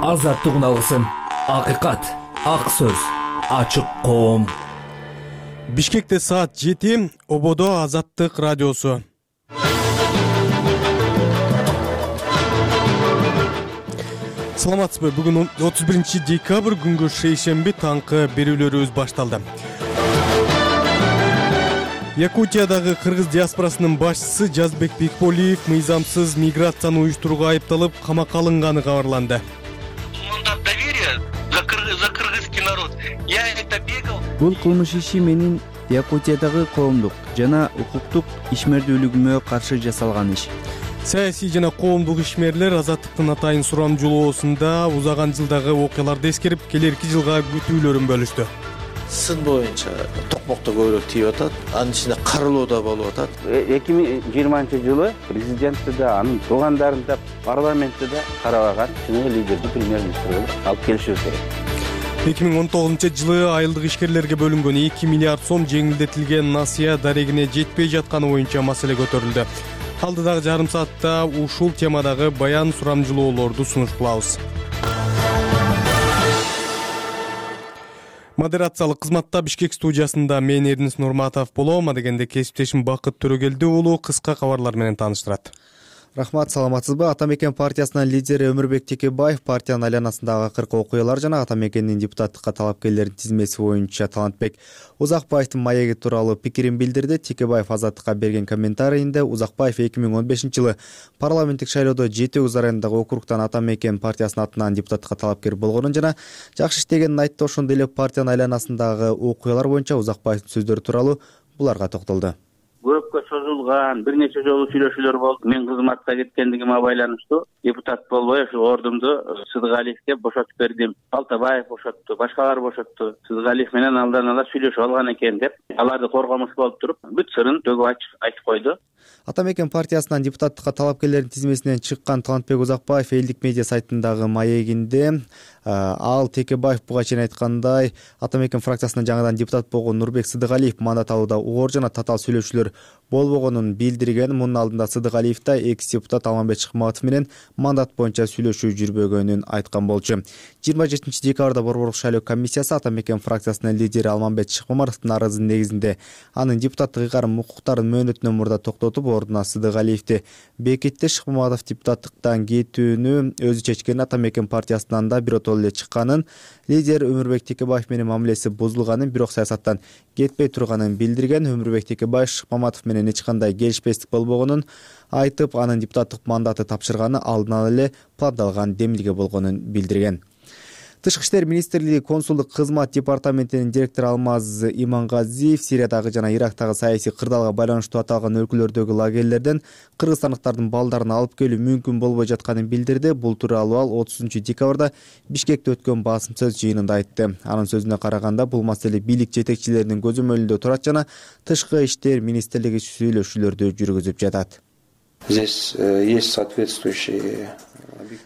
Азаттык алгысым, акыйкат, ак сөз, ачык коом. Бишкекте саат 7, Ободо Азаттык радиосу. Саламатсызбы? Бүгүн 31 декабрь күнгө шейшемби таңкы берүүлөрүбүз башталды. Якутиядагы кыргыз диаспорасынын башчысы Жазбек Бекболиев мыйзамсыз миграцияны уюштурууга айыпталып камакка алынганы кабарланды. За кыргызский народ. Я это бегал. Бул кылмыш иши менин Якутиядагы коомдук жана укуктук ишмердүүлүгүмө каршы жасалган иш. Саясий жана коомдук ишмерлер Азаттыктын атайын сурамжылоосунда узаган жылдагы окуяларды эскерип, келерки жылга күтүүлөрүн бөлүштү. Сын боюнча токмокто көбүрөөк тийип атат, анын ичинде карылуу да болуп атат. 2020-жылы президентти да, анын туугандарын да, парламентти да карабаган лидерди премьер-министр кылып алып келишибиз керек. 2019-жылы айылдык ишкерлерге бөлүнгөн 2 миллиард сом жеңилдетилген насыя дарегине жетпей жатканы боюнча маселе көтөрүлдү. Алдыдагы жарым саатта ушул темадагы баян сурамжылоолорду сунуш кылабыз. Модерациялык кызматта Бишкек студиясында мен Эрдинис Нурматов болом. Адегенде кесиптешим Бакыт Төрөгелди уулу кыска кабарлар менен тааныштырат. Рахмат, саламатсызбы? Атамекен партиясынын лидери Өмүрбек Текебаев партиянын айланасындагы акыркы окуялар жана Атамекендин депутаттыкка талапкерлердин тизмеси боюнча Талантбек Узакбаевдин маеги тууралуу пикирин билдирди. Текебаев Азаттыкка берген комментарийинде Узакбаев 2015-жылы парламенттик шайлоодо Жети Үз районундагы округтан Атамекен партиясынын атынан депутаттыкка талапкер болгонун жана жакшы иштегенин айтты. Ошондой эле партиянын айланасындагы окуялар боюнча Узакбаевдин сөздөрү тууралуу буларга токтолду. Көпкө созулган бир нече жолу сүйлөшүүлөр болду. Мен кызматка кеткендигиме байланыштуу депутат болбой ошо ордумду Сыдыгалиевге бошотуп бердим. Алтабаев бошотту, башкалар бошотту. Сыдыгалиев менен алдан ала сүйлөшүп алган экен деп, аларды коргомуш болуп туруп, бүт сырын төгүп айтып койду. Атамекен партиясынан депутаттыкка талапкерлердин тизмесинен чыккан Талантбек Узакбаев элдик медиа сайтындагы маегинде ал Текебаев буга чейин айткандай Атамекен фракциясынан жаңадан депутат болгон Нурбек Сыдыгалиев мандат алууда оор жана татаал сүйлөшүүлөр болбогонун билдирген. Мунун алдында Сыдыгалиев да экс-депутат Алмамбет Шыкматов менен мандат боюнча сүйлөшүү жүрбөгөнүн айткан болчу. 27 декабрда Борборлук шайлоо комиссиясы Атамекен фракциясынын лидери Алмамбет Шыкматовдун арызынын негизинде анын депутаттык ыйгарым укуктарын мөөнөтүнөн мурда токтотуп, ордуна Сыдыгалиевди бекитти. Шыкматов депутаттыктан кетүүнү өзү чечкен. Атамекен партиясынан да биротоло эле чыкканын, лидер Өмүрбек Текебаев менен мамилеси бузулганын, бирок саясаттан кетпей турганын билдирген. Өмүрбек Текебаев Шыкматов менен эч кандай келишпестик болбогонун айтып, анын депутаттык мандаты тапшырганы алдын ала эле пландалган демилге болгонун билдирген. Тышкы иштер министрлиги консулдук кызмат департаментинин директору Алмаз Имангазиев Сириядагы жана Ирактагы саясий кырдаалга байланыштуу аталган өлкөлөрдөгү лагерлерден кыргызстандыктардын балдарын алып келүү мүмкүн болбой жатканын билдирди. Бул тууралуу ал 30 декабрда Бишкекте өткөн басым сөз жыйынында айтты. Анын сөзүнө караганда, бул маселе бийлик жетекчилеринин көзөмөлүндө турат жана тышкы иштер министрлиги сүйлөшүүлөрдү жүргүзүп жатат. Здесь есть соответствующие.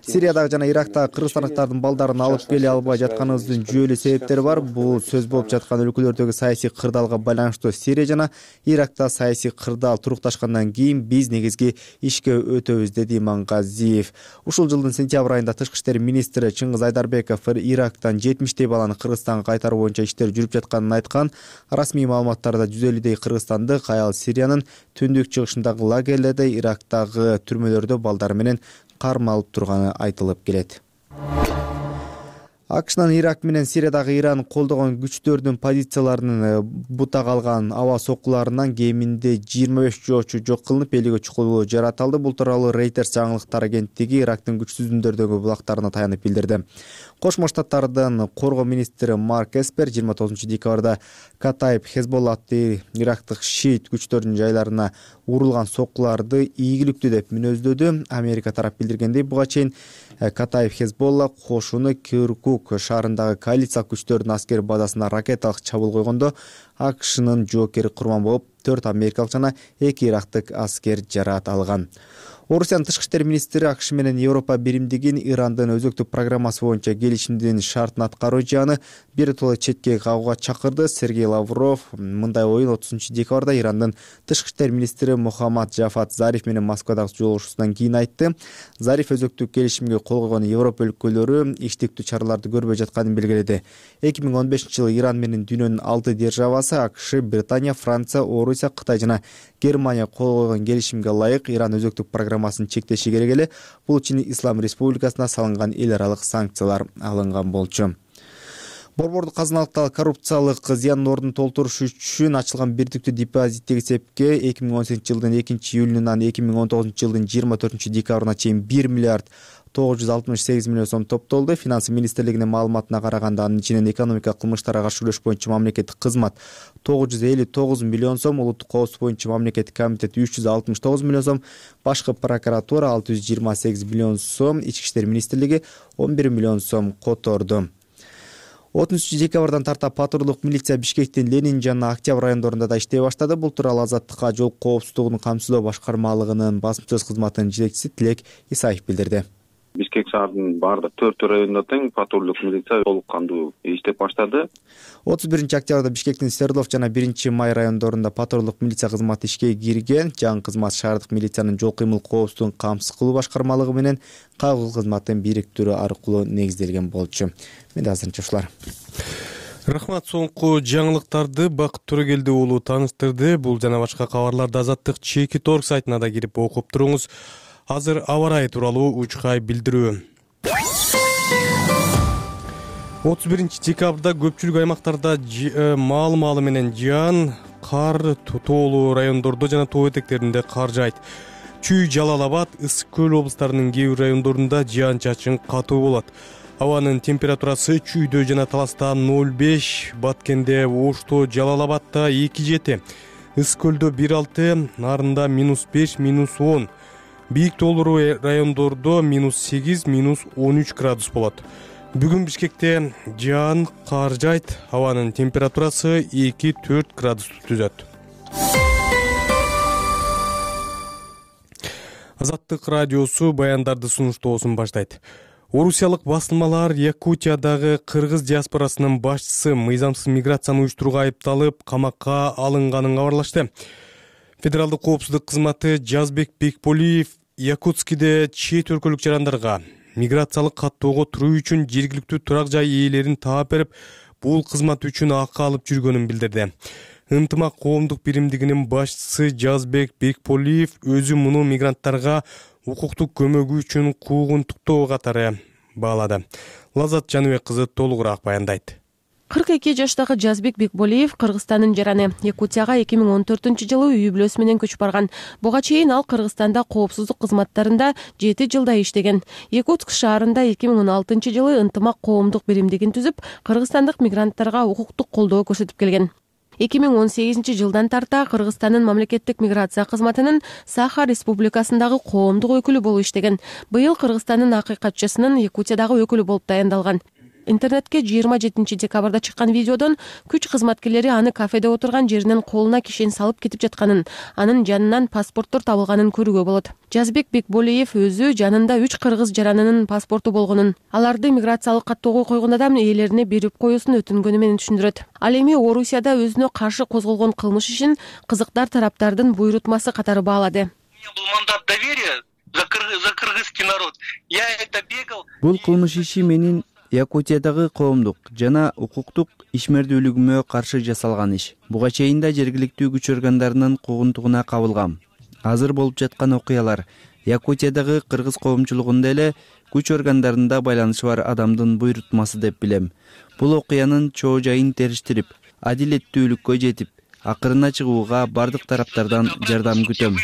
Сириядагы жана Ирактагы кыргызстандыктардын балдарын алып келе албай жатканыбыздын жүйөлүү себептери бар. Бул сөз болуп жаткан өлкөлөрдөгү саясий кырдаалга байланыштуу. Сирия жана Иракта саясий кырдаал турукташкандан кийин биз негизги ишке өтөбүз, деди Имангазиев. Ушул жылдын сентябрь айында тышкы иштер министри Чыңгыз Айдарбеков Ирактан 70 баланы Кыргызстанга кайтаруу боюнча иштер жүрүп жатканын айткан. Расмий маалыматтарда 150 кыргызстандык аял Сириянын түндүк чыгышындагы лагерлерде, Ирактагы түрмөлөрдө балдары менен кармалып турганы айтылып келет. АКШнын Ирак менен Сириядагы Иран колдогон күчтөрдүн позицияларынын бутак алган аба соккуларынан кеминде 25 жоочу жок кылынып, элиге чукулуу жаратылды. Бул тууралуу Reuters жаңылыктар агенттиги Ирактын күчсүзүндөрдөгү булактарына таянып билдирди. Кошмо Штаттардын коргоо министри Марк Эспер 29 декабрда Катаиб Хезболла аттуу ирактык шиит күчтөрдүн жайларына урулган соккуларды ийгиликтүү деп мүнөздөдү. Америка тарап билдиргендей, буга чейин Катаиб Хезболла кошуну Киркук шаарындагы коалициялык күчтөрдүн аскер базасына ракеталык чабуул койгондо АКШнын жоокери курман болуп 4 америкалык жана 2 ирактык аскер жараат алган. Орусиянын тышкы иштер министри АКШ менен Европа биримдигин Ирандын өзөктүк программасы боюнча келишимдин шартын аткаруу жааны биротоло четке кагууга чакырды. Сергей Лавров мындай оюн 30-декабрда Ирандын тышкы иштер министри Мухаммад Жафат Зариф менен Москвадагы жолугушуусунан кийин айтты. Зариф өзөктүк келишимге кол койгон Европа өлкөлөрү иштиктүү чараларды көрбөй жатканын белгиледи. 2015-жылы Иран менен дүйнөнүн 6 державасы АКШ, Британия, Франция, Орусия, Кытай жана Германия кол койгон келишимге ылайык Иран өзөктүк программасын чектеши керек эле. Бул үчүн Ислам Республикасына салынган эл аралык санкциялар алынган болчу. Борбордук казыналыктагы коррупциялык зыяндын ордун толтуруш үчүн ачылган бирдиктүү депозиттеги эсепке 2018-жылдын 2-июлунан 2019-жылдын 24-декабрына чейин 1 миллиард 968 миллион сом топтолду. Финансы министрлигинин маалыматына караганда анын ичинен экономика кылмыштарга каршы күрөш боюнча мамлекеттик кызмат 959 миллион сом, улуттук коопсуздук боюнча мамлекеттик комитет 369 миллион сом, башкы прокуратура 628 миллион сом, ички иштер министрлиги 11 миллион сом которду. 30-декабрдан тарта патрулдук милиция Бишкектин Ленин жана Октябрь райондорунда да иштей баштады. Бул тууралуу Азаттыкка жол коопсуздугун камсыздоо башкармалыгынын басма сөз кызматынын жетекчиси Тилек Исаев билдирди. Бишкек шаарынын баардык 4 районунда тең патрулдук милиция толук кандуу иштеп баштады. 31-октябрда Бишкектин Свердлов жана 1-Май райондорунда патрулдук милиция кызматы ишке кирген. Жаңы кызмат шаардык милициянын жол кыймыл коопсуздугун камсыз кылуу башкармалыгы менен кайгылуу кызматын бириктирүү аркылуу негизделген болчу. Менде азырынча ушулар. Рахмат, соңку жаңылыктарды Бакыт Төрөгелди уулу тааныштырды. Бул жана башка кабарларды Азаттык Чеки.org сайтына да кирип окуп туруңуз. Азыр аба ырайы тууралуу учкай билдирүү. 31-декабрда көпчүлүк аймактарда маалы менен жаан, кар, тоолуу райондордо жана тоо этектеринде кар жаайт. Чүй, Жалал Абад, Ысык көл облустарынын кээ бир райондорунда жаан-чачын катуу болот. Абанын температурасы Чүйдө жана Таласта 0,5, Баткенде, Ошто, Жалал Абадда 2,7, Ысык көлдө 1,6, Нарында -5, -10. Бийик тоолуу райондордо -8, -13 градус болот. Бүгүн Бишкекте жаан, кар жаайт. Абанын температурасы 2-4 градусту түзөт. Азаттык радиосу баяндарды сунуштоосун баштайт. Орусиялык басылмалар Якутиядагы кыргыз диаспорасынын башчысы мыйзамсыз миграцияны уюштурууга айыпталып, камакка алынганын кабарлашты. Федералдык коопсуздук кызматы Жазбек Бекболиев Якутскиде чет өлкөлүк жарандарга миграциялык каттоого туруу үчүн жергиликтүү турак жай ээлерин таап берип, бул кызмат үчүн акы алып жүргөнүн билдирди. Ынтымак коомдук биримдигинин башчысы Жазбек Бекболиев өзү муну мигранттарга укуктук көмөгү үчүн куугунтуктоо катары баалады. Лазат Жаныбек кызы толугураак баяндайт. 42 жаштагы Жазбек Бекболиев Кыргызстандын жараны. Якутияга 2014-жылы үй бүлөсү менен көчүп барган. Буга чейин ал Кыргызстанда коопсуздук кызматтарында 7 жылда иштеген. Якутск шаарында 2016-жылы ынтымак коомдук биримдигин түзүп, кыргызстандык мигранттарга укуктук колдоо көрсөтүп келген. 2018-жылдан тарта Кыргызстандын мамлекеттик миграция кызматынын Саха Республикасындагы коомдук өкүлү болуп иштеген. Быйыл Кыргызстандын акый катчысынын Якутиядагы өкүлү болуп дайындалган. Интернетке 27-декабрда чыккан видеодон күч кызматкерлери аны кафеде отурган жеринен колуна кишен салып кетип жатканын, анын жанынан паспорттор табылганын көрүүгө болот. Жазбек Бекболиев өзү жанында 3 кыргыз жаранынын паспорту болгонун, аларды миграциялык каттоого койгон адам ээлерине берип коюусун өтүнгөнү менен түшүндүрөт. Ал эми Орусияда өзүнө каршы козголгон кылмыш ишин кызыктар тараптардын буйрутмасы катары баалады. Был мандат доверия за кыргызский народ. Я это бегал. Бул кылмыш иши менин Якутиядагы коомдук жана укуктук ишмердүүлүгүмө каршы жасалган иш. Буга чейин да жергиликтүү күч органдарынын куугунтугуна кабылгам. Азыр болуп жаткан окуялар Якутиядагы кыргыз коомчулугунда эле күч органдарында байланышы бар адамдын буйрутмасы деп билем. Бул окуянын чоо жайын териштирип, адилеттүүлүккө жетип, акырына чыгууга бардык тараптардан жардам күтөм.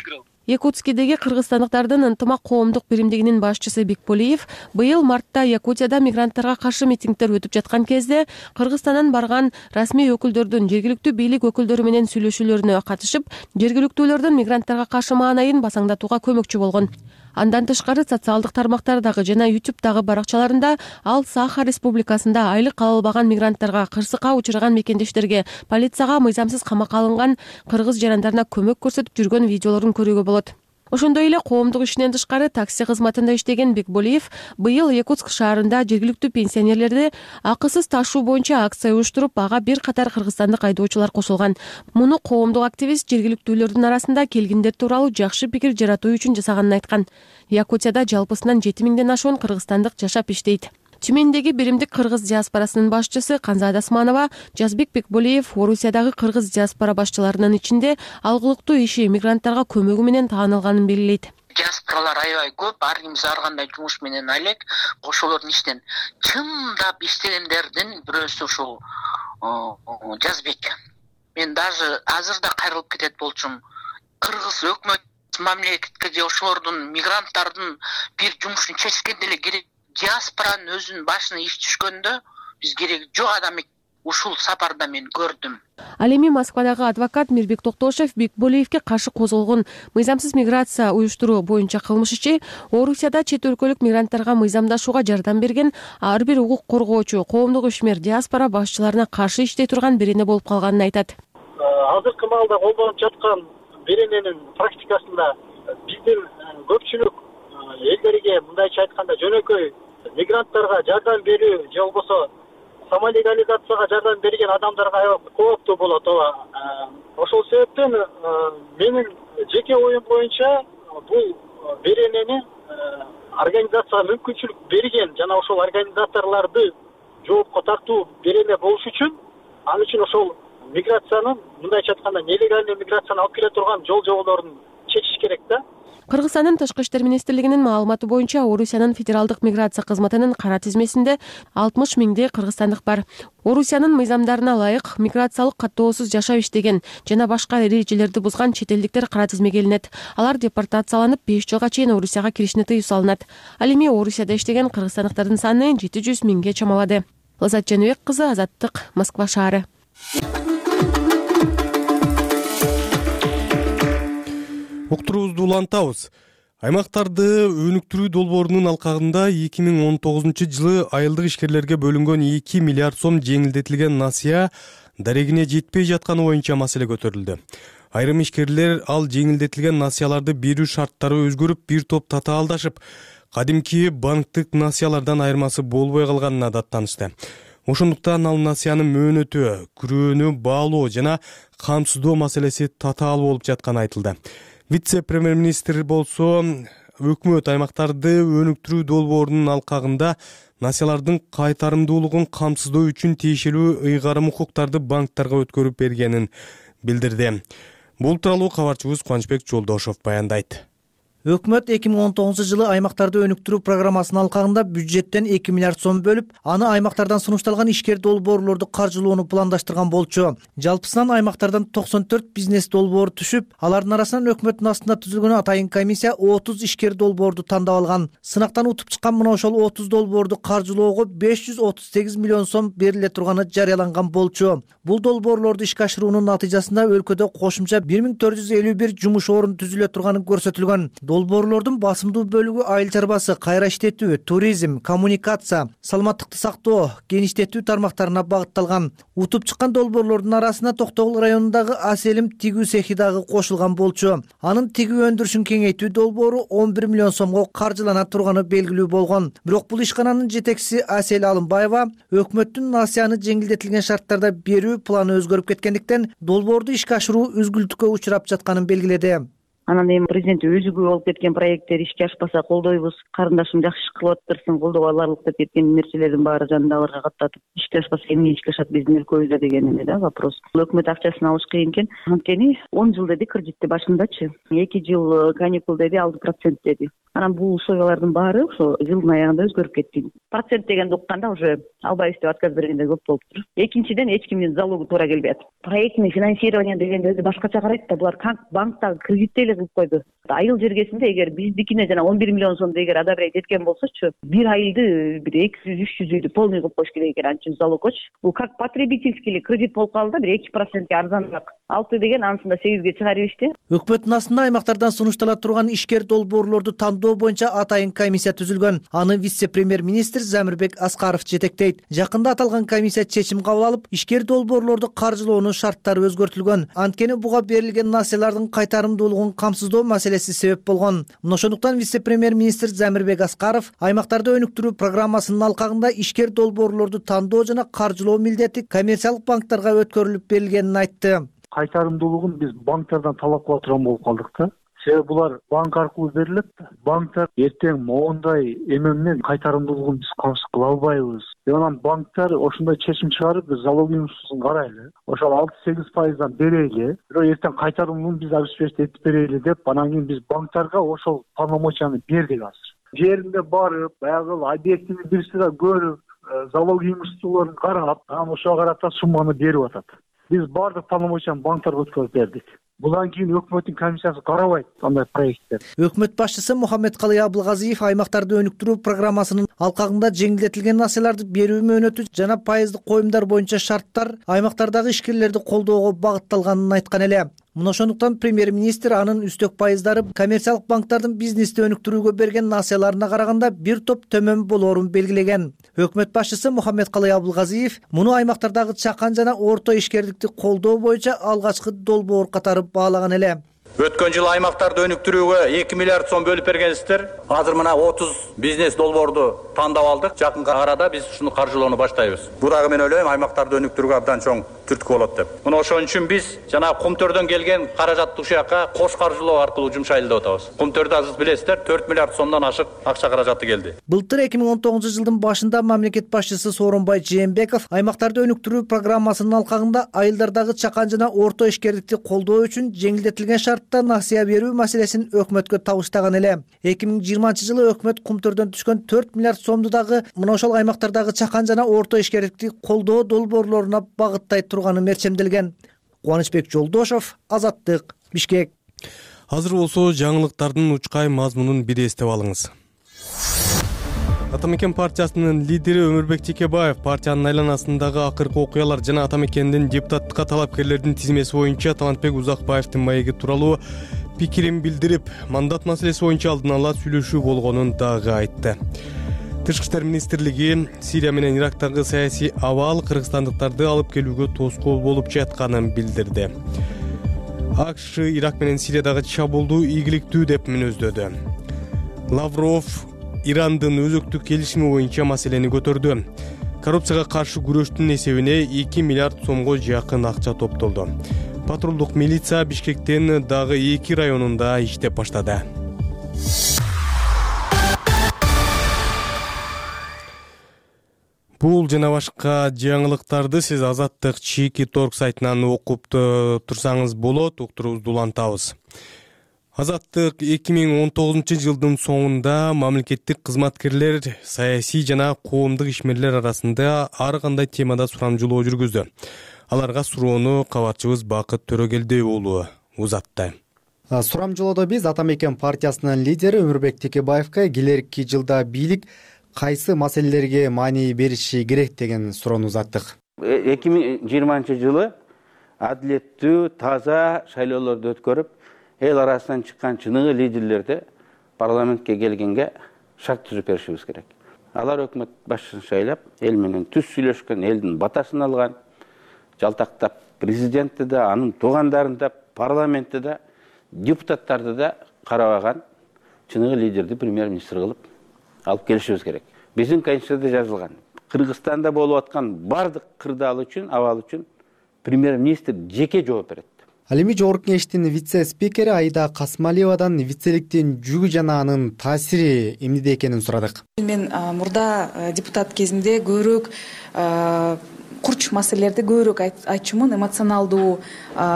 Якутскидеги кыргызстандыктардын ынтымак коомдук биримдигинин башчысы Бекболиев быйыл мартта Якутияда мигранттарга каршы митингдер өтүп жаткан кезде Кыргызстандан барган расмий өкүлдөрдүн жергиликтүү бийлик өкүлдөрү менен сүйлөшүүлөрүнө катышып, жергиликтүүлөрдүн мигранттарга каршы маанайын басаңдатууга көмөкчү болгон. Андан тышкары социалдык тармактардагы жана YouTube'дагы баракчаларында ал Саха Республикасында айлык ала албаган мигранттарга, кырсыкка учураган мекендештерге, полицияга мыйзамсыз камакка алынган кыргыз жарандарына көмөк көрсөтүп жүргөн видеолорун көрүүгө болот. Ошондой эле коомдук ишинен тышкары такси кызматында иштеген Бекболиев быйыл Якутск шаарында жергиликтүү пенсионерлерди акысыз ташуу боюнча акция уюштуруп, ага бир катар кыргызстандык айдоочулар кошулган. Муну коомдук активист жергиликтүүлөрдүн арасында келгиндер тууралуу жакшы пикир жаратуу үчүн жасаганын айткан. Якутияда жалпысынан 7000ден ашуун кыргызстандык жашап иштейт. Тюмендеги биримдик кыргыз диаспорасынын башчысы Канзада Асманова Жазбек Бекболиев Орусиядагы кыргыз диаспора башчыларынын ичинде алгылыктуу иши мигранттарга көмөгү менен таанылганын белгилейт. Диаспоралар аябай көп, ар ким ар кандай жумуш менен алек, ошолордун иштен чындап иштегендердин бирөөсү ушул Жазбек. Мен даже азыр да кайрылып кетет болчумун. Кыргыз өкмөт мамлекетке же ошолордун мигранттардын бир жумушун чечкенде эле керек. Диаспоранын өзүнүн башына иш түшкөндө биз кереги жок адам ушул сапарда мен көрдүм. Ал эми Москвадагы адвокат Мирбек Токтошев Бекболиевке каршы козголгон мыйзамсыз миграция уюштуруу боюнча кылмыш иши Орусияда чет өлкөлүк мигранттарга мыйзамдашууга жардам берген ар бир укук коргоочу, коомдук ишмер, диаспора башчыларына каршы иштей турган берене болуп калганын айтат. Азыркы маалда колдонуп жаткан берененин практикасында биздин көпчүлүк элдерге мындайча айтканда жөнөкөй мигранттарга жардам берүү же болбосо самолегализацияга жардам берген адамдарга аябай кооптуу болот. Ошол себептен менин жеке оюм боюнча бул беренени организацияга мүмкүнчүлүк берген жана ошол организаторлорду жоопко тартуу берене болуш үчүн ал үчүн ошол миграциянын мындайча айтканда нелегальный миграцияны алып келе турган жол жоболорун чечиш керек да. Кыргызстандын Тышкы иштер министрлигинин маалыматы боюнча Орусиянын федералдык миграция кызматынын кара тизмесинде 60 миңдей кыргызстандык бар. Орусиянын мыйзамдарына ылайык миграциялык каттоосуз жашап иштеген жана башка эрежелерди бузган чет элдиктер кара тизмеге илинет. Алар депортацияланып 5 жылга чейин Орусияга киришине тыюу салынат. Ал эми Орусияда иштеген кыргызстандыктардын саны 700 миңге чамалады. Лазат Жаныбек кызы, Азаттык, Москва шаары. Уктуруубузду улантабыз. Аймактарды өнүктүрүү долбоорунун алкагында 2019 жылы айылдык ишкерлерге бөлүнгөн 2 миллиард сом жеңилдетилген насыя дарегине жетпей жатканы боюнча маселе көтөрүлдү. Айрым ишкерлер ал жеңилдетилген насыяларды берүү шарттары өзгөрүп, бир топ татаалдашып, кадимки банктык насыялардан айырмасы болбой калганына даттанышты. Ошондуктан ал насыянын мөөнөтү, күрөөнү баалоо жана камсыздоо маселеси татаал болуп жатканы айтылды. Вице-премьер-министр болсо өкмөт аймактарды өнүктүрүү долбоорунун алкагында насыялардын кайтарымдуулугун камсыздоо үчүн тиешелүү ыйгарым укуктарды банктерге өткөрүп бергенин билдирди. Бул тууралуу кабарчыбыз Кубанычбек Жолдошов баяндайт. Өкмөт 2019 жылы аймактарды өнүктүрүү программасынын алкагында бюджеттен 2 миллиард сом бөлүп, аны аймактардан сунушталган ишкер долбоорлорду каржылоону пландаштырган болчу. Жалпысынан аймактардан 94 бизнес долбоор түшүп, алардын арасынан өкмөттүн астында түзүлгөн атайын комиссия 30 ишкер долбоорду тандап алган. Сынактан утуп чыккан мына ошол 30 долбоорду каржылоого 538 миллион сом бериле турганы жарыяланган болчу. Бул долбоорлорду ишке ашыруунун натыйжасында өлкөдө кошумча 1451 жумуш орун түзүлө турганы көрсөтүлгөн. Долбоорлордун басымдуу бөлүгү айыл чарбасы, кайра иштетүү, туризм, коммуникация, саламаттыкты сактоо, геништетүү тармактарына багытталган. Утуп чыккан долбоорлордун арасына Токтогул районундагы Аселим тигүү цехи дагы кошулган болчу. Анын тигүү өндүрүшүн кеңейтүү долбоору 11 миллион сомго каржылана турганы белгилүү болгон. Бирок бул ишкананын жетекчиси Асел Алымбаева өкмөттүн насыяны жеңилдетилген шарттарда берүү планы өзгөрүп кеткендиктен долбоорду ишке ашыруу үзгүлтүккө учурап жатканын белгиледи. Анан эми президент өзү күбө болуп кеткен проекттер ишке ашпаса колдойбуз, карындашым жакшы иш кылып атыптырсың, колдоого аларлык деп кеткен нерселердин баары жанында аларга каттатып, ишке ашпаса эмне ишке ашат биздин өлкөбүздө деген эле да вопрос. Өкмөт акчасын алыш кыйын экен. Анткени 10 жыл деди кредитти башындачы. 2 жыл каникул деди, алды процент деди. Анан бул условиялардын баары ошо жылдын аягында өзгөрүп кетти. Процент дегенди укканда уже албайбыз деп отказ бергендер көп болуптур. Экинчиден эч кимдин залогу туура келбей атат. Проектный финансирование дегенде өзү башкача карайт да, булар банктагы кредитти эле кылып койду. Айыл жергесинде эгер биздикине жана 11 миллион сомду эгер ада бир жеткен болсочу, бир айылды бир 200-300 үйдү полный кылып коюш керек экен. Анча залогоч бул как потребительский кредит болуп калды да, бир 2%ке арзаныраак. 6 деген анысында 8ге чыгар ийишти. Өкмөттүн астында аймактардан сунуштала турган ишкер долбоорлорду тандоо боюнча атайын комиссия түзүлгөн. Аны вице-премьер-министр Замирбек Аскаров жетектейт. Жакында аталган комиссия чечим кабыл алып, ишкер долбоорлорду каржылоонун шарттары өзгөртүлгөн. Анткени буга берилген насыялардын кайтарымдуулугун камсыздоо маселеси себеп болгон. Мына ошондуктан вице-премьер-министр Замирбек Аскаров аймактарды өнүктүрүү программасынын алкагында ишкер долбоорлорду тандоо жана каржылоо милдети коммерциялык банктарга өткөрүлүп берилгенин айтты. Кайтарымдуулугун биз банктардан талап кыла турган болуп калдык да. Себеби булар банк аркылуу берилет да. Банктар эртең моундай эме менен кайтарымдуулугун биз камсыз кыла албайбыз. Анан банктар ошондой чечим чыгарып, биз залог имуществосун карайлы. Ошол 6-8% берели. Бирок эртең кайтарымдуулугун биз обеспечить этип берели деп, анан кийин биз банктарга ошол полномочияны бердик азыр. Жеринде барып, баягы объектини бир сыра көрүп, залог имуществолорун карап, анан ошого карата сумманы берип атат. Биз бардык полномочияны банктарга өткөрүп бердик. Будан кийин өкмөттүн комиссиясы карабайт андай проекттер. Өкмөт башчысы Мухаммедкалый Абылгазиев аймактарды өнүктүрүү программасынын алкагында жеңилдетилген насыяларды берүү мөөнөтү жана пайыздык коюмдар боюнча шарттар аймактардагы ишкерлерди колдоого багытталганын айткан эле. Мына ошондуктан премьер-министр анын үстөк пайыздары коммерциялык банктардын бизнести өнүктүрүүгө берген насыяларына караганда бир топ төмөн болоорун белгилеген. Өкмөт башчысы Мухаммедкалый Абылгазиев муну аймактардагы чакан жана орто ишкерликти колдоо боюнча алгачкы долбоор катары баалаган эле. Өткөн жылы аймактарды өнүктүрүүгө 2 миллиард сом бөлүп бергенсиздер. Азыр мына 30 бизнес долбоорду тандап алдык. Жакынкы арада биз ушуну каржылоону баштайбыз. Бул дагы мен ойлойм аймактарды өнүктүрүүгө абдан чоң түрткү болот деп. Мына ошон үчүн биз жана Кумтөрдөн келген каражатты ушул жака кош каржылоо аркылуу жумшайлы деп атабыз. Кумтөрдө азыр билесиздер 4 миллиард сомдон ашык акча каражаты келди. Былтыр 2019-жылдын башында мамлекет башчысы Сооронбай Жээнбеков аймактарды өнүктүрүү программасынын алкагында айылдардагы чакан жана орто ишкерликти колдоо үчүн жеңилдетилген шартта насыя берүү маселесин өкмөткө табыштаган эле. 2020-жылы өкмөт Кумтөрдөн түшкөн 4 миллиард сомду дагы мына ошол аймактардагы чакан жана орто ишкерликти колдоо долбоорлоруна багыттай турганы мерчемделген. Кубанычбек Жолдошов, Азаттык, Бишкек. Азыр болсо жаңылыктардын учкай мазмунун бир эстеп алыңыз. Атамекен партиясынын лидери Өмүрбек Текебаев партиянын айланасындагы акыркы окуялар жана Атамекендин депутаттыкка талапкерлердин тизмеси боюнча Талантбек Узакбаевдин маеги тууралуу пикирин билдирип, мандат маселеси боюнча алдын ала сүйлөшүү болгонун дагы айтты. Тышкы иштер министрлиги Сирия менен Ирактагы саясий абал кыргызстандыктарды алып келүүгө тоскоол болуп жатканын билдирди. АКШ Ирак менен Сириядагы чабуулду ийгиликтүү деп мүнөздөдү. Лавров Ирандын өзөктүк келишими боюнча маселени көтөрдү. Коррупцияга каршы күрөштүн эсебине 2 миллиард сомго жакын акча топтолду. Патрулдук милиция Бишкектин дагы 2 районунда иштеп баштады. Бул жана башка жаңылыктарды сиз Азаттык Чийки Торг сайтынан окуп турсаңыз болот, уктуруубузду улантабыз. Азаттык 2019-жылдын соңунда мамлекеттик кызматкерлер саясий жана коомдук ишмерлер арасында ар кандай темада сурамжылоо жүргүздү. Аларга суроону кабарчыбыз Бакыт Төрөгелди уулу узатты. Сурамжылоодо биз Атамекен партиясынын лидери Өмүрбек Текебаевка келерки жылда бийлик кайсы маселелерге маани бериши керек деген суроону узаттык. 2020-жылы адилеттүү, таза шайлоолорду өткөрүп, эл арасынан чыккан чыныгы лидерлерди парламентке келгенге шарт түзүп беришибиз керек. Алар өкмөт башчысын шайлап, эл менен түз сүйлөшкөн, элдин батасын алган, жалтактап президентти да, анын туугандарын да, парламентти да, депутаттарды да карабаган чыныгы лидерди премьер-министр кылып алып келишибиз керек. Биздин конституцияда жазылган, Кыргызстанда болуп аткан бардык кырдаал үчүн, абал үчүн премьер-министр жеке жооп берет. Ал эми жогорку кеңештин вице-спикери Айда Касмалиевадан вицеликтин жүгү жана анын таасири эмнеде экенин сурадык. Мен мурда депутат кезимде көбүрөөк курч маселелерди көбүрөөк айтчумун, эмоционалдуу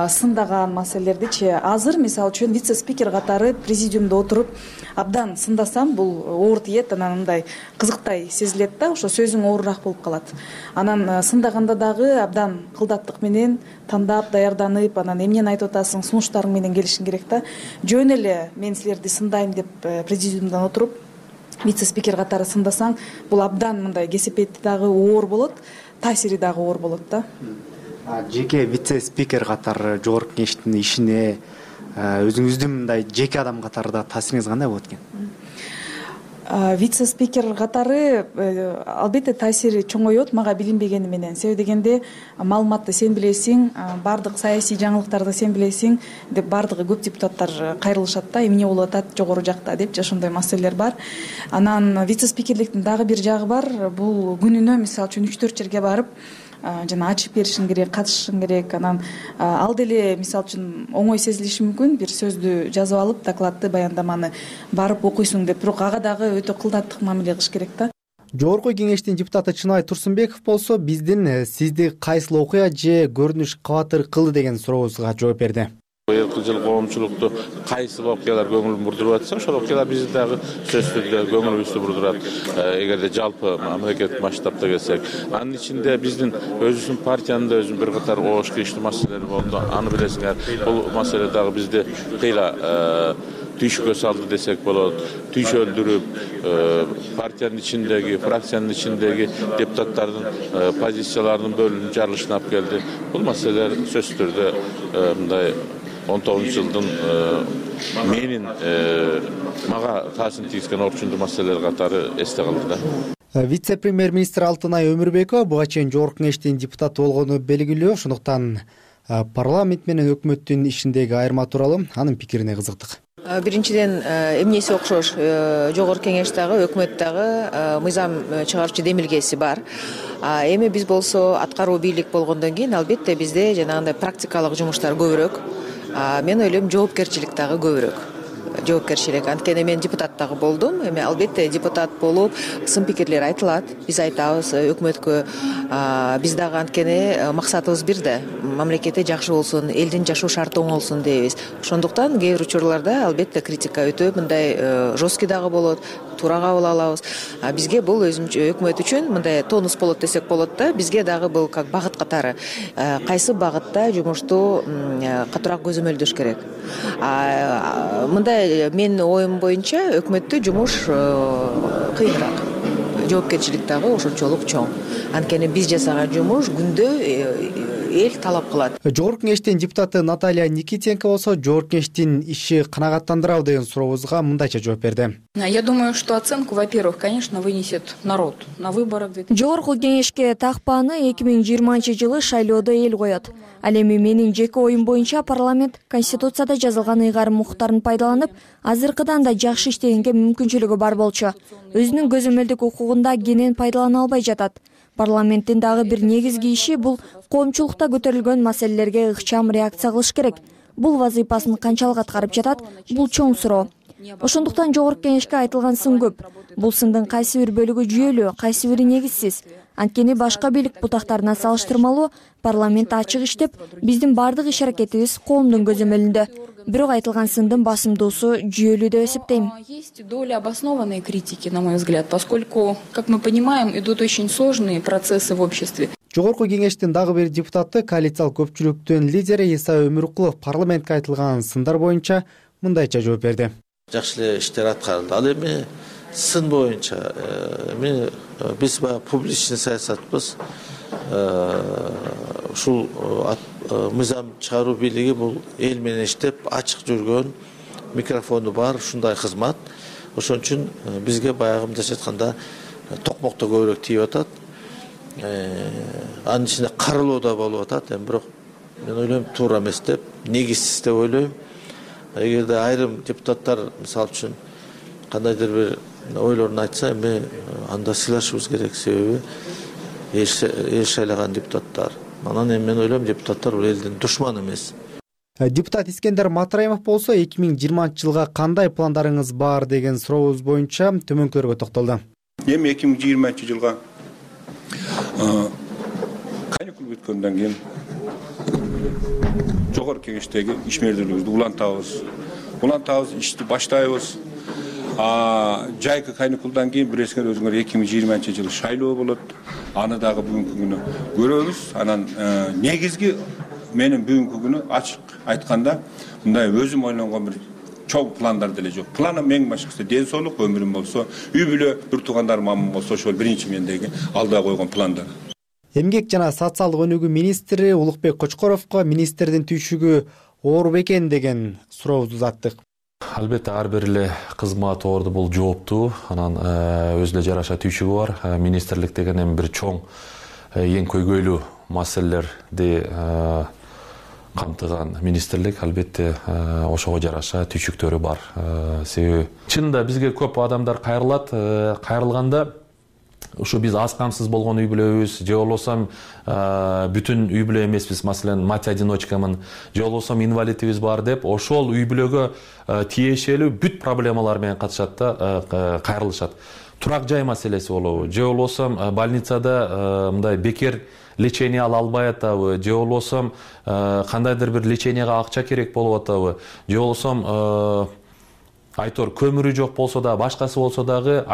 сындаган маселелердичи. Азыр мисалы үчүн вице спикер катары президиумда отуруп абдан сындасам бул оор тиет, анан мындай кызыктай сезилет да, ошо сөзүң оорураак болуп калат. Анан сындаганда дагы абдан кылдаттык менен тандап даярданып, анан эмнени айтып атасың, сунуштарың менен келишиң керек да. Жөн эле мен силерди сындайм деп президиумдан отуруп вице спикер катары сындасаң, бул абдан мындай кесепети дагы оор болот, таасири дагы оор болот да. Жеке вице спикер катары жогорку кеңештин ишине өзүңүздүн мындай жеке адам катары да таасириңиз кандай болот экен? Вице спикер катары албетте таасири чоңойот мага билинбегени менен. Себеби дегенде маалыматты сен билесиң, бардык саясий жаңылыктарды сен билесиң деп бардыгы көп депутаттар кайрылышат да, эмне болуп атат жогору жакта депчи, ошондой маселелер бар. Анан вице спикерликтин дагы бир жагы бар. Бул күнүнө мисалы үчүн 3-4 жерге барып жана ачып беришиң керек, катышышың керек. Анан ал деле мисалы үчүн оңой сезилиши мүмкүн, бир сөздү жазып алып, докладты, баяндаманы барып окуйсуң деп, бирок ага дагы өтө кылдаттык мамиле кылыш керек да. Жогорку кеңештин депутаты Чынай Турсунбеков болсо биздин сизди кайсыл окуя же көрүнүш кабатыр кылды деген сурообузга жооп берди. Быйылкы жыл коомчулукту кайсы окуялар көңүлүн бурдуруп атса, ошол окуялар бизди дагы сөзсүз түрдө көңүлүбүздү бурдурат. Эгерде жалпы мамлекет масштабта келсек, анын ичинде биздин өзүбүздүн партиянын да өзүнүн бир катар оош кийиштүү маселелери болду. Аны билесиңер, бул маселе дагы бизди кыйла түйшүккө салды десек болот. Түйшөлдүрүп, партиянын ичиндеги, фракциянын ичиндеги депутаттардын позицияларынын бөлүнүп жарылышына алып келди. Бул маселелер сөзсүз түрдө мындай 19 жылдын менин мага таасирин тийгизген орчундуу маселелер катары эсте калды да. Вице-премьер-министр Алтынай Өмүрбекова буга чейин жогорку кеңештин депутаты болгону белгилүү. Ошондуктан парламент менен өкмөттүн ишиндеги айырма тууралуу анын пикирине кызыктык. Биринчиден эмнеси окшош, жогорку кеңеш дагы өкмөт дагы мыйзам чыгаруучу демилгеси бар. Эми биз болсо аткаруу бийлик болгондон кийин албетте бизде жанагындай практикалык жумуштар көбүрөөк. Мен ойлойм жоопкерчилик дагы көбүрөөк. Жоопкерчилик. Анткени мен депутат дагы болдум. Эми албетте депутат болуп сын пикирлер айтылат. Биз айтабыз өкмөткө. Биз дагы анткени максатыбыз бир да. Мамлекетте жакшы болсун, элдин жашоо шарты оңолсун дейбиз. Ошондуктан кээ бир учурларда албетте критика өтө мындай жесткий дагы болот. Туура кабыл алабыз. Бизге бул өзүнчө өкмөт үчүн мындай тонус болот десек болот да. Бизге дагы бул как багыт катары. Кайсы багытта жумушту катуураак көзөмөлдөш керек. Мындай менин оюм боюнча өкмөттө жумуш кыйыныраак. Жоопкерчилик дагы ошончолук чоң. Анткени биз жасаган жумуш күндө эл талап кылат. Жогорку кеңештин депутаты Наталья Никитенко болсо жогорку кеңештин иши канагаттандырабы деген сурообузга мындайча жооп берди. Я думаю, что оценку, во-первых, конечно, вынесет народ на выборах. Жогорку кеңешке такпааны 2020-жылы шайлоодо эл коет. Ал эми менин жеке оюм боюнча парламент Конституцияда жазылган ыйгарым укуктарын пайдаланып, азыркыдан да жакшы иштегенге мүмкүнчүлүгү бар болчу. Өзүнүн көзөмөлдүк укугунда кенен пайдалана албай жатат. Парламенттин дагы бир негизги иши бул коомчулукта көтөрүлгөн маселелерге ыкчам реакция кылыш керек. Бул вазыйпасын канчалык аткарып жатат, бул чоң суроо. Ошондуктан жогорку кеңешке айтылган сын көп. Бул сындын кайсы бир бөлүгү жүйөлүү, кайсы бири негизсиз. Анткени башка бийлик бутактарына салыштырмалуу парламент ачык иштеп, биздин бардык иш-аракетибиз коомдун көзөмөлүндө. Бирок айтылган сындын басымдуусу жүйөлүү деп эсептейм. Есть доля обоснованной критики, на мой взгляд, поскольку, как мы понимаем, идут очень сложные процессы в обществе. Жогорку кеңештин дагы бир депутаты, коалициялык көпчүлүктүн лидери Иса Өмүркулов парламентке айтылган сындар боюнча мындайча жооп берди. Жакшы эле иштер аткарылды. Ал эми сын боюнча биз баягы публичный саясатпыз. Ушул мыйзам чыгаруу бийлиги бул эл менен иштеп, ачык жүргөн, микрофону бар ушундай кызмат. Ошон үчүн бизге баягы мындайча айтканда токмокто көбүрөөк тийип атат. Анын ичинде карылуу да болуп атат. Бирок мен ойлойм туура эмес деп, негизсиз деп ойлойм. Эгерде айрым депутаттар мисалы үчүн кандайдыр бир ойлорун айтса, эми анда сыйлашыбыз керек, себеби эл шайлаган депутаттар. Анан эми мен ойлойм депутаттар бул элдин душманы эмес. Депутат Искендер Матраимов болсо 2020-жылга кандай пландарыңыз бар деген сурообуз боюнча төмөнкүлөргө токтолду. Эми 2020-жылга бүткөндөн кийин жогорку кеңештеги ишмердүүлүгүбүздү улантабыз, ишти баштайбыз. Жайкы каникулдан кийин билесиңер өзүңөр 2020-жылы шайлоо болот. Аны дагы бүгүнкү күнү көрөбүз. Анан негизги менин бүгүнкү күнү ачык айтканда мындай өзүм ойлонгон бир чоң пландар деле жок. Планым эң башкысы ден соолук, өмүрүм болсо, үй бүлө, бир туугандарым аман болсо, ошол биринчи мендеги алда койгон пландар. Эмгек жана социалдык өнүгүү министри Улукбек Кочкоровго министрдин түйшүгү оор бекен деген сурообузду узаттык. Албетте ар бир эле кызмат орду бул жооптуу, анан өзүнө жараша түйшүгү бар. Министрлик деген эми бир чоң эң көйгөйлүү маселелерди камтыган министрлик, албетте ошого жараша түйшүктөрү бар. Себеби чынында бизге көп адамдар кайрылат, кайрылганда ушу биз аз камсыз болгон үй бүлөбүз, же болбосо бүтүн үй бүлө эмеспиз, маселен мать одиночкамын, же болбосо инвалидибиз бар деп, ошол үй бүлөгө тиешелүү бүт проблемалар менен катышат да кайрылышат. Турак жай маселеси болобу, же болбосо больницада мындай бекер лечение ала албай атабы, же болбосо кандайдыр бир леченияга акча керек болуп атабы, же болбосо айтор көмүрү жок болсо да, башкасы болсо дагы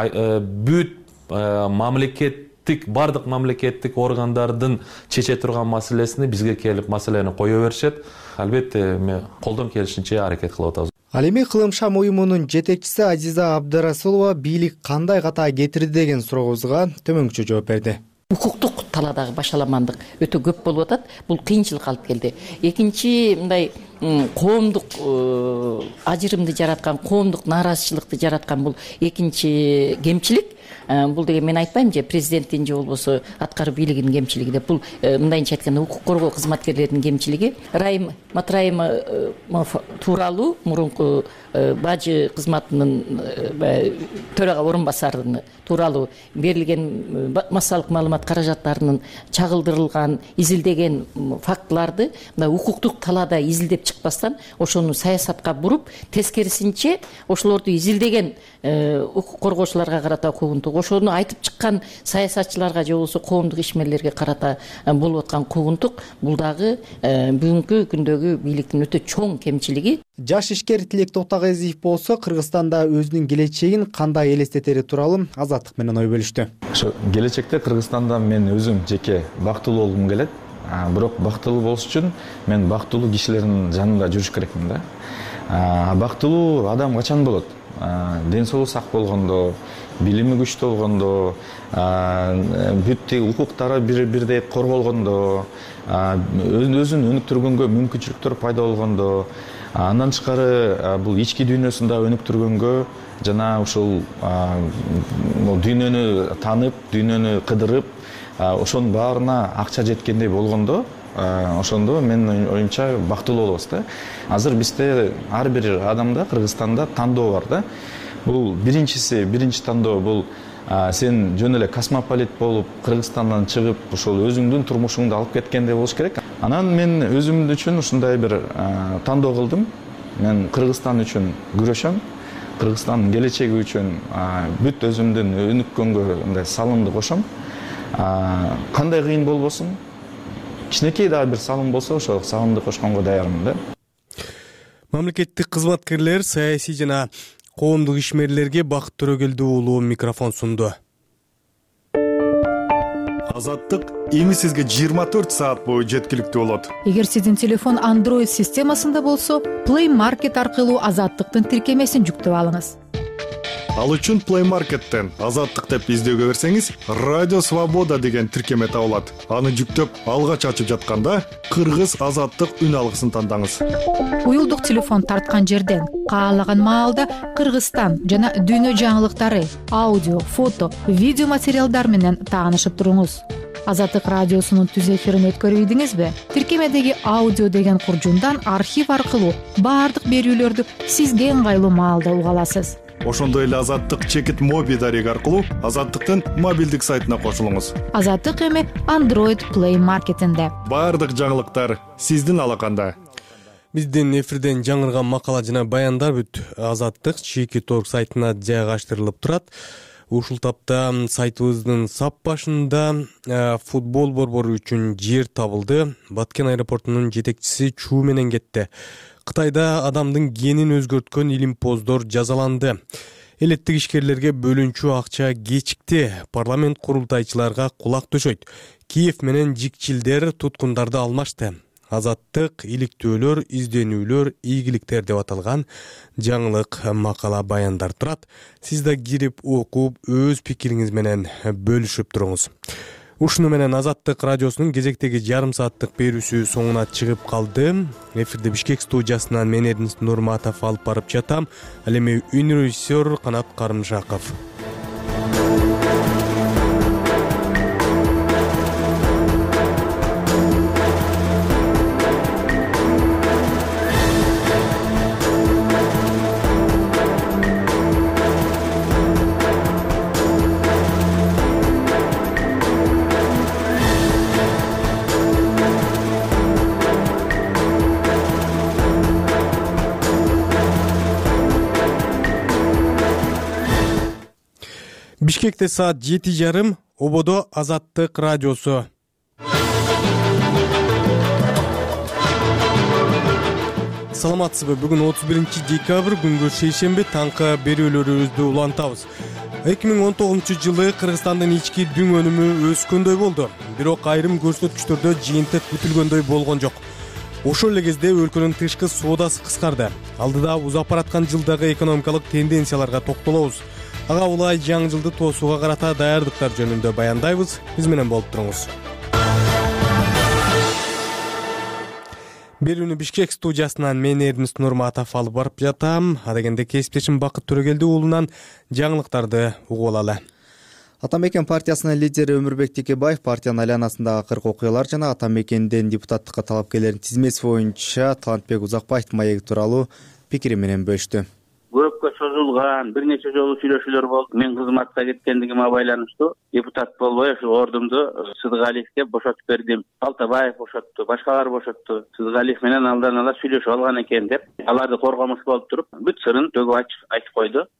бүт бардык мамлекеттик органдардын чече турган маселесини бизге келип маселени кое беришет. Албетте мен колдон келишинче аракет кылып атабыз. Ал эми Кылым шам уюмунун жетекчиси Азиза Абдрасулова бийлик кандай ката кетирди деген сурообузга төмөнкүчө жооп берди. Укуктук таладагы башаламандык өтө көп болуп атат. Бул кыйынчылык алып келди. Экинчи мындай коомдук ажырымды жараткан, коомдук нааразычылыкты жараткан бул экинчи кемчилик. Бул деген мен айтпайм же президенттин же болбосо аткаруу бийлигинин кемчилиги деп. Бул мындайынча айтканда укук коргоо кызматкерлеринин кемчилиги. Райым Матраимов тууралуу мурунку бажы кызматынын төрага орун басарынын тууралуу берилген массалык маалымат каражаттарынын чагылдырылган, изилдеген фактыларды мына укуктук талаада изилдеп чыкпастан ошону саясатка буруп, тескерисинче ошолорду изилдеген укук коргоочуларга карата куугунтук, ошону айтып чыккан саясатчыларга же болбосо коомдук ишмерлерге карата болуп аткан куугунтук бул дагы бүгүнкү күндөгү бийликтин өтө чоң кемчилиги. Жаш ишкер Тилек Токтагезиев болсо Кыргызстанда өзүнүн келечегин кандай элестетери тууралуу Азаттык менен ой бөлүштү. Ошо келечекте Кыргызстанда мен өзүм жеке бактылуу болгум келет. Бирок бактылуу болуш үчүн мен бактылуу кишилердин жанында жүрүш керекмин да. Бактылуу адам качан болот? Ден соолугу сак болгондо, билими күчтүү болгондо, бүт укуктары бирдей корголгондо, өзүн өнүктүргөнгө мүмкүнчүлүктөр пайда болгондо, андан тышкары бул ички дүйнөсүндө өнүктүргөнгө жана ушул дүйнөнү танып, дүйнөнү кыдырып, ошонун баарына акча жеткендей болгондо, ошондо мен оюмча бактылуу болобуз да. Азыр бизде ар бир адамда Кыргызстанда тандоо бар да. Бул биринчи тандоо бул сен жөн эле космополит болуп Кыргызстандан чыгып, ошол өзүңдүн турмушуңду алып кеткендей болуш керек. Анан мен өзүм үчүн ушундай бир тандоо кылдым. Мен Кыргызстан үчүн күрөшөм. Кыргызстандын келечеги үчүн бүт өзүмдүн өнүккөнгө мындай салымды кошом. Кандай кыйын болбосун, кичинекей дагы бир салым болсо, ошол салымды кошконго даярмын да. Мамлекеттик кызматкерлер, саясий жана коомдук ишмерлерге Бакыт Төрөгелдүү уулу микрофон сунду. Азаттык эми сизге 24 саат бою жеткиликтүү болот. Эгер сиздин телефон Android системасында болсо, Play Market аркылуу Азаттыктын тиркемесин жүктөп алыңыз. Ал үчүн Play Market'тен Азаттык деп издөөгө берсеңиз, Радио Свобода деген тиркеме табылат. Аны жүктөп, алгач ачып жатканда Кыргыз Азаттык үн алгысын тандаңыз. Уюлдук телефон тарткан жерден каалаган маалда Кыргызстан жана дүйнө жаңылыктары, аудио, фото, видео материалдар менен таанышып туруңуз. Азаттык радиосунун түз эфирин өткөрүп ийдиңизби? Тиркемедеги аудио деген куржундан архив аркылуу баардык берүүлөрдү сизге ыңгайлуу маалда уга аласыз. Ошондой эле Азаттык чекит моби дареги аркылуу Азаттыктын мобилдик сайтына кошулуңуз. Азаттык эми Android Play Market'инде. Баардык жаңылыктар сиздин алаканда. Биздин эфирден жаңырган макала жана баяндар бүт Азаттык чекит.org сайтына жайгаштырылып турат. Ушул тапта сайтыбыздын сап башында футбол борбору үчүн жер табылды. Баткен аэропортунун жетекчиси Чуу менен кетти. Кытайда адамдын генин өзгөрткөн илимпоздор жазаланды. Элеттик ишкерлерге бөлүнчү акча кечикти. Парламент курултайчыларга кулак төшөйт. Киев менен жикчилдер туткундарды алмашты. Азаттык, иликтөөлөр, изденүүлөр, ийгиликтер деп аталган жаңылык макала баяндар турат. Сиз да кирип окуп, өз пикириңиз менен бөлүшүп туруңуз. Ушуну менен Азаттык радиосунун кезектеги жарым сааттык берүүсү соңуна чыгып калды. Эфирде Бишкек студиясынан мен Эрдинис Нурматов алып барып жатам. Ал эми режиссер Канат Карымшаков. Бишкекте саат 7:30, ободо Азаттык радиосу. Саламатсызбы? Бүгүн 31 декабрь, күнгө шейшемби, таңкы берүүлөрүбүздү улантабыз. 2019-жылы Кыргызстандын ички дүң өнүмү өскөндөй болду. Бирок айрым көрсөткүчтөрдө жыйынтык күтүлгөндөй болгон жок. Ошол эле кезде өлкөнүн тышкы соодасы кыскарды. Алдыда узап бараткан жылдагы экономикалык тенденцияларга токтолобуз. Ага улай жаңы жылды тоосууга карата даярдыктар жөнүндө баяндайбыз. Биз менен болуп туруңуз. Берүүнү Бишкек студиясынан мен Эрдинис Нурматов алып барып жатам. Адегенде кесиптешим Бакыт Төрөгелди уулунан жаңылыктарды угуп алалы. Атамекен партиясынын лидери Өмүрбек Текебаев партиянын айланасындагы кырк окуялар жана Атамекенден депутаттыкка талапкерлердин тизмеси боюнча Талантбек Узакбаевдин маеги тууралуу пикири менен бөлүштү. Көпкө созулган бир нече жолу сүйлөшүүлөр болду. Мен кызматка кеткендигиме байланыштуу депутат болбой ошо ордумду Сыдыгалиевге бошотуп бердим. Алтабаев бошотту, башкалар бошотту. Сыдыгалиев менен алдан ала сүйлөшүп алган экен деп, аларды коргомуш болуп туруп, бүт сырын төгүп айтып койду.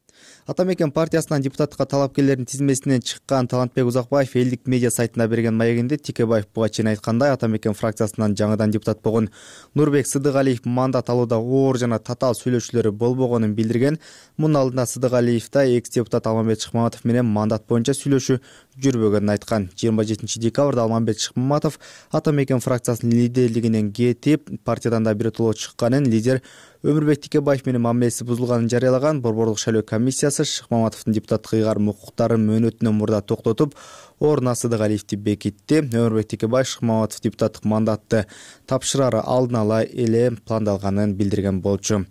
Атамекен партиясынан депутаттыкка талапкерлердин тизмесинен чыккан Талантбек Узакбаев элдик медиа сайтына берген маегинде Текебаев буга чейин айткандай, Атамекен фракциясынан жаңыдан депутат болгон Нурбек Сыдыгалиев мандат алууда оор жана татаал сүйлөшүүлөр болбогонун билдирген. Мунун алдында Сыдыгалиев да экс депутат Алмамбет Шыкмаматов менен мандат боюнча сүйлөшүү жүрбөгөнүн айткан. 27 декабрда Алмамбет Шыкмаматов Атамекен фракциясынын лидерлигинен кетип, партиядан да биротоло чыкканын, лидер Өмүрбек Текебаев менен мамилеси бузулганын жарыялаган. Борборлук шайлоо комиссиясы Шыкмаматовдун депутаттык ыйгарым укуктарын мөөнөтүнөн мурда токтотуп, ордуна Сыдыгалиевди бекитти. Өмүрбек Текебаев Шыкмаматов депутаттык мандатты тапшырары алдын ала эле пландалганын билдирген болчу.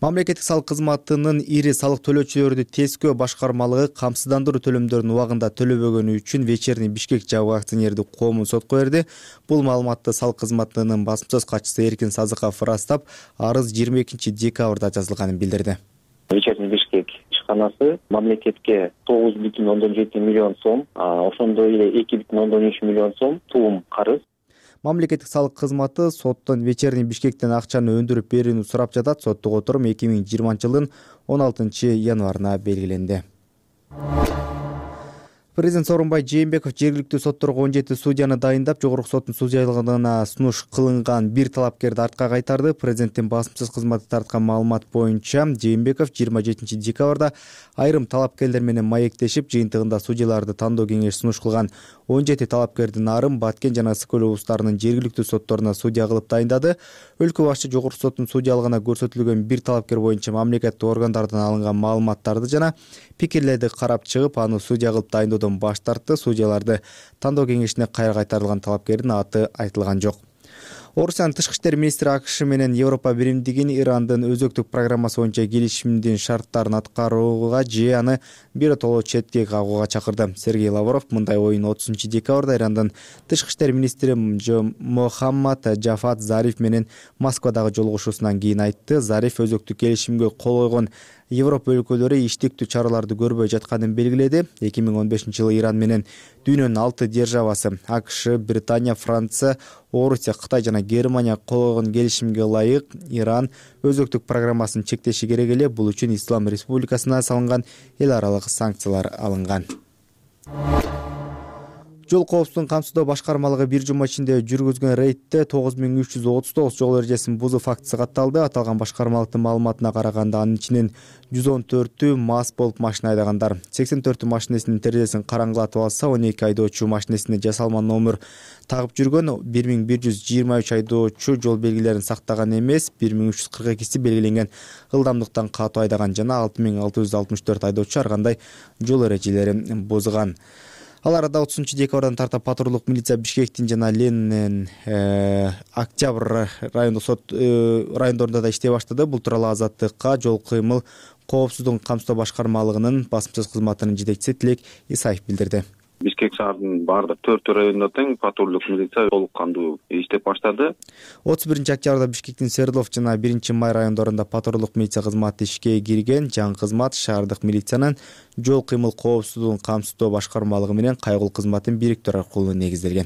Мамлекеттик салык кызматынын ири салык төлөөчүлөрдү тескөө башкармалыгы камсыздандыруу төлөмдөрүн убагында төлөбөгөнү үчүн Вечерний Бишкек жабык акционердик коомун сотко берди. Бул маалыматты салык кызматынын басмасөз катчысы Эркин Сазыков ырастап, арыз 22 декабрда жазылганын билдирди. Вечерний Бишкек ишканасы мамлекетке 9,7 миллион сом, ошондой эле 2,3 миллион сом туум карыз. Мамлекеттик салык кызматы соттон Вечерний Бишкектен акчаны өндүрүп берүүнү сурап жатат. Соттук отурум 2020-жылдын 16 январына белгиленди. Президент Сооронбай Жээнбеков жергиликтүү сотторго 17 судьяны дайындап, жогорку соттун судьялыгына сунуш кылынган бир талапкерди артка кайтарды. Президенттин басмасөз кызматы тарткан маалымат боюнча, Жээнбеков 27 декабрда айрым талапкерлер менен маектешип, жыйынтыгында судьяларды тандоо кеңеши сунуш кылган 17 талапкердин Арым, Баткен жана Ысык өлкө облустарынын жергиликтүү сотторуна судья кылып дайындады. Өлкө башчы жогорку соттун судьялыгына көрсөтүлгөн бир талапкер боюнча мамлекеттик органдардан алынган маалыматтарды жана пикирлерди карап чыгып, аны судья кылып дайындоодон баш тартты. Судьяларды тандоо кеңешине кайра кайтарылган талапкердин аты айтылган жок. Орусиянын тышкы иштер министри АКШ менен Европа биримдигин Ирандын өзөктүк программасы боюнча келишимдин шарттарын аткарууга же аны биротоло четке кагууга чакырды. Сергей Лавров мындай оюн 30 декабрда Ирандын тышкы иштер министри Мохаммад Джафат Зариф менен Москвадагы жолугушуусунан кийин айтты. Зариф өзөктүк келишимге кол койгон Европа өлкөлөрү иштиктүү чараларды көрбөй жатканын белгиледи. 2015-жылы Иран менен дүйнөнүн 6 державасы АКШ, Британия, Франция, Орусия, Кытай жана Германия кол койгон келишимге ылайык Иран өзөктүк программасын чектеши керек эле. Бул үчүн Ислам Республикасына салынган эл аралык санкциялар алынган. Жол коопсуздугун камсыздоо башкармалыгы бир жума ичинде жүргүзгөн рейдте 9339 жол эрежесин бузуу фактысы катталды. Аталган башкармалыктын маалыматына караганда анын ичинен 114 мас болуп машина айдагандар, 84 машинесинин терезесин караңгылатып алса, 12 айдоочу машинесине жасалма номер тагып жүргөн, 1123 айдоочу жол белгилерин сактаган эмес, 1342си белгиленген ылдамдыктан катуу айдаган жана 6664 айдоочу ар кандай жол эрежелерин бузган. Ал арада 30-декабрдан тарта патрулдук милиция Бишкектин жана Ленин, Октябрь райондук сот райондорунда да иштей баштады. Бул тууралуу Азаттыкка жол кыймыл коопсуздугун камсыздоо башкармалыгынын басмачыл кызматынын жетекчиси Тилек Исаев билдирди. Бишкек шаарынын баардык 4 районунда тең патрулдук милиция толук кандуу иштеп баштады. 31-октябрда Бишкектин Свердлов жана 1-Май райондорунда патрулдук милиция кызматы ишке кирген. Жаңы кызмат шаардык милициянын жол кыймыл коопсуздугун камсыздоо башкармалыгы менен кайгыл кызматын бириктирүү аркылуу негизделген.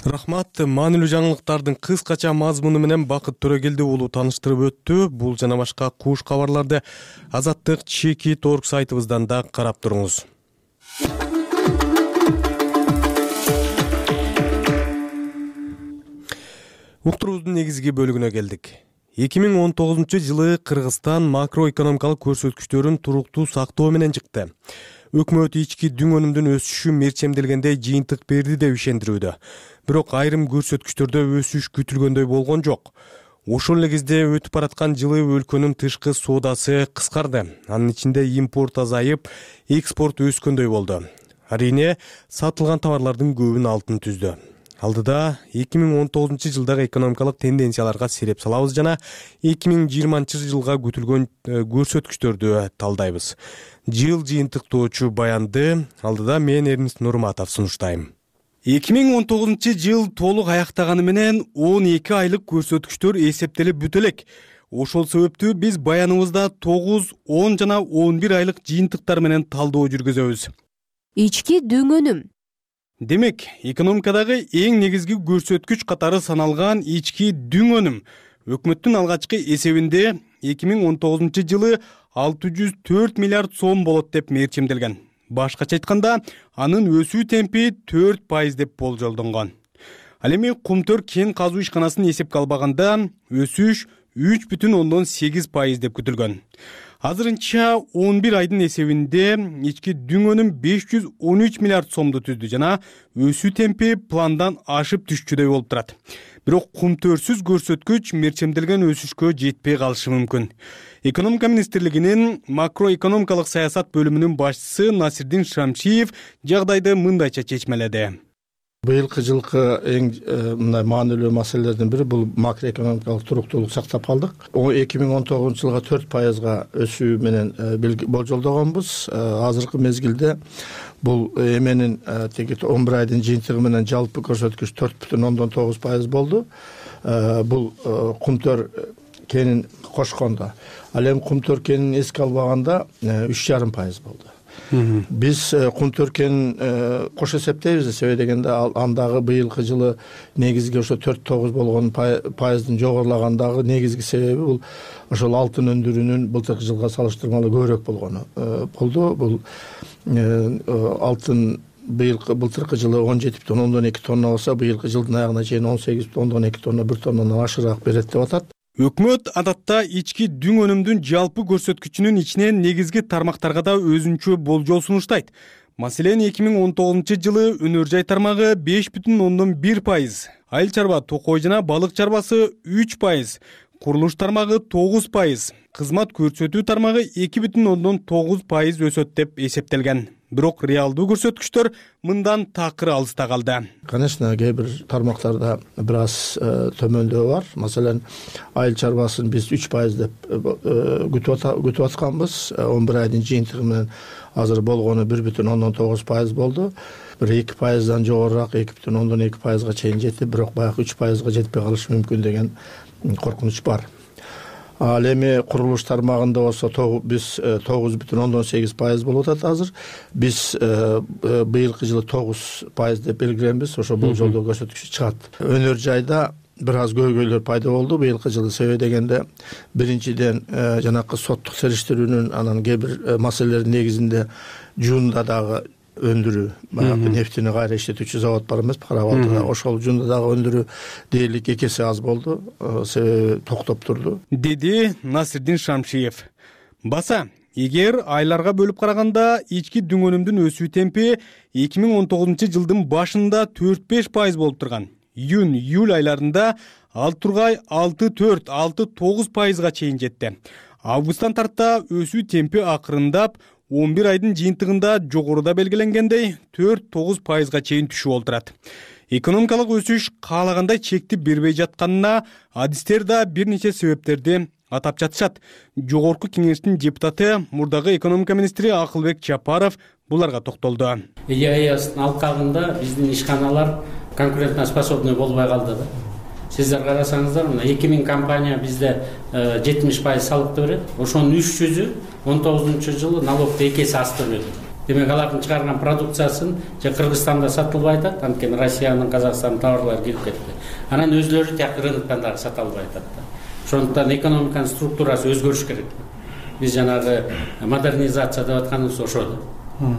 Рахмат. Маанилүү жаңылыктардын кыскача мазмуну менен Бакыт Төрөгелди уулу тааныштырып өттү. Бул жана башка куш кабарларды Азаттык Чекит.org сайтыбыздан да карап туруңуз. Уктуруубуздун негизги бөлүгүнө келдик. 2019-жылы Кыргызстан макроэкономикалык көрсөткүчтөрүн туруктуу сактоо менен чыкты. Өкмөт ички дүң өнүмдүн өсүшү мерчемделгендей жыйынтык берди деп ишендирүүдө. Бирок айрым көрсөткүчтөрдө өсүш күтүлгөндөй болгон жок. Ошол эле кезде өтүп бараткан жылы өлкөнүн тышкы соодасы кыскарды. Анын ичинде импорт азайып, экспорт өскөндөй болду. Арине сатылган товарлардын көбүн алтын түздү. Алдыда 2019-жылдагы экономикалык тенденцияларга сереп салабыз жана 2020-жылга күтүлгөн көрсөткүчтөрдү талдайбыз. Жыл жыйынтыктоочу баянды алдыда мен Эрнест Нурматов сунуштайм. 2019-жыл толук аяктаганы менен 12 айлык көрсөткүчтөр эсептелип бүтө элек. Ошол себептүү биз баяныбызда 9, 10 жана 11 айлык жыйынтыктар менен талдоо жүргүзөбүз. Ички дүң өнүм. Демек, экономикадагы эң негизги көрсөткүч катары саналган ички дүң өнүм өкмөттүн алгачкы эсебинде 2019-жылы 604 миллиард сом болот деп мерчемделген. Башкача айтканда, анын өсүү темпи 4% деп болжолдонгон. Ал эми Кумтөр кен казуу ишканасын эсепке албаганда өсүш 3,8% деп күтүлгөн. Азырынча 11 айдын эсебинде ички дүң өнүм 513 миллиард сомду түздү жана өсүү темпи пландан ашып түшчүдөй болуп турат. Бирок Кумтөрсүз көрсөткүч мерчемделген өсүшкө жетпей калышы мүмкүн. Экономика министрлигинин макроэкономикалык саясат бөлүмүнүн башчысы Насирдин Шамшиев жагдайды мындайча чечмеледи. Быйылкы жылкы эң мындай маанилүү маселелердин бири бул макроэкономикалык туруктуулук сактап калдык. 2019-жылга 4%га өсүү менен болжолдогонбуз. Азыркы мезгилде бул эменин теги 11 айдын жыйынтыгы менен жалпы көрсөткүч 4,9% болду. Бул Кумтөр кенин кошкондо. Ал эми Кумтөр кенин эске албаганда 3,5% болду. Биз Кумтөр кенин кош эсептейбиз, себеби дегенде андагы быйылкы жылы негизги ошо 4,9 болгон пайыздын жогорулагандагы негизги себеби бул ошол алтын өндүрүүнүн былтыркы жылга салыштырмалуу көбүрөөк болгону болду. Бул алтын былтыркы жылы 17,2 тонна болсо, быйылкы жылдын аягына чейин 18,2 тонна, 1 тоннадан ашыраак берет деп атат. Өкмөт адатта ички дүң өнүмдүн жалпы көрсөткүчүнүн ичинен негизги тармактарга да өзүнчө болжол сунуштайт. Маселен, 2019-жылы өнөр жай тармагы 5,1%, айыл чарба, токой жана балык чарбасы 3%, курулуш тармагы 9%, кызмат көрсөтүү тармагы 2,9% өсөт деп эсептелген. Бирок реалдуу көрсөткүчтөр мындан такыр алыста калды. Конечно, кээ бир тармактарда бир аз төмөндөө бар. Маселен, айыл чарбасын биз 3% деп күтүп атканбыз. 11 айдын жыйынтыгы менен азыр болгону 1,9% болду. Бир 2%дан жогорураак 2,2%га чейин жетти, бирок баягы 3%га жетпей калышы мүмкүн деген коркунуч бар. Ал эми курулуш тармагында болсо биз 9,8% болуп атат азыр. Биз быйылкы жылы 9% деп белгиленбиз. Ошо бул жолдо көрсөткүч чыгат. Өнөр жайда бир аз көйгөйлөр пайда болду быйылкы жылы. Себеби дегенде биринчиден жанакы соттук териштирүүнүн анан кээ бир маселелердин негизинде жуунда дагы өндүрүү, баягы нефтини кайра иштетүүчү завод бар эмеспи Кара Балтада. Ошол жуунда дагы өндүрүү дээрлик 2 эсе аз болду, себеби токтоп турду, деди Насирдин Шамшиев. Баса, эгер айларга бөлүп караганда ички дүң өнүмдүн өсүү темпи 2019 жылдын башында 4-5% болуп турган. Июнь-июль айларында ал тургай 6-4-6-9%га чейин жетти. Августтан тарта өсүү темпи акырындап 11 айдын жыйынтыгында жогоруда белгиленгендей 4-9%га чейин түшүп олтурат. Экономикалык өсүш каалагандай чекти бербей жатканына адистер да бир нече себептерди атап жатышат. Жогорку кеңештин депутаты, мурдагы экономика министри Акылбек Чапаров буларга токтолду. ЕАЭСтин алкагында биздин ишканалар конкурентоспособный болбой калды да. Сиздер карасаңыздар, мына 2000 компания бизде 70% салыкты берет. Ошонун 300-ü 19-жылы налогду 2 эсе аз төлөдү. Демек алардын чыгарган продукциясын же Кыргызстанда сатылбай атат, анткени Россиянын, Казакстандын товарлары кирип кетти. Анан өзлөрү тияк рыноктан дагы сата албай атат да. Ошондуктан экономиканын структурасы өзгөрүш керек. Биз жанагы модернизация деп атканыбыз ошо да.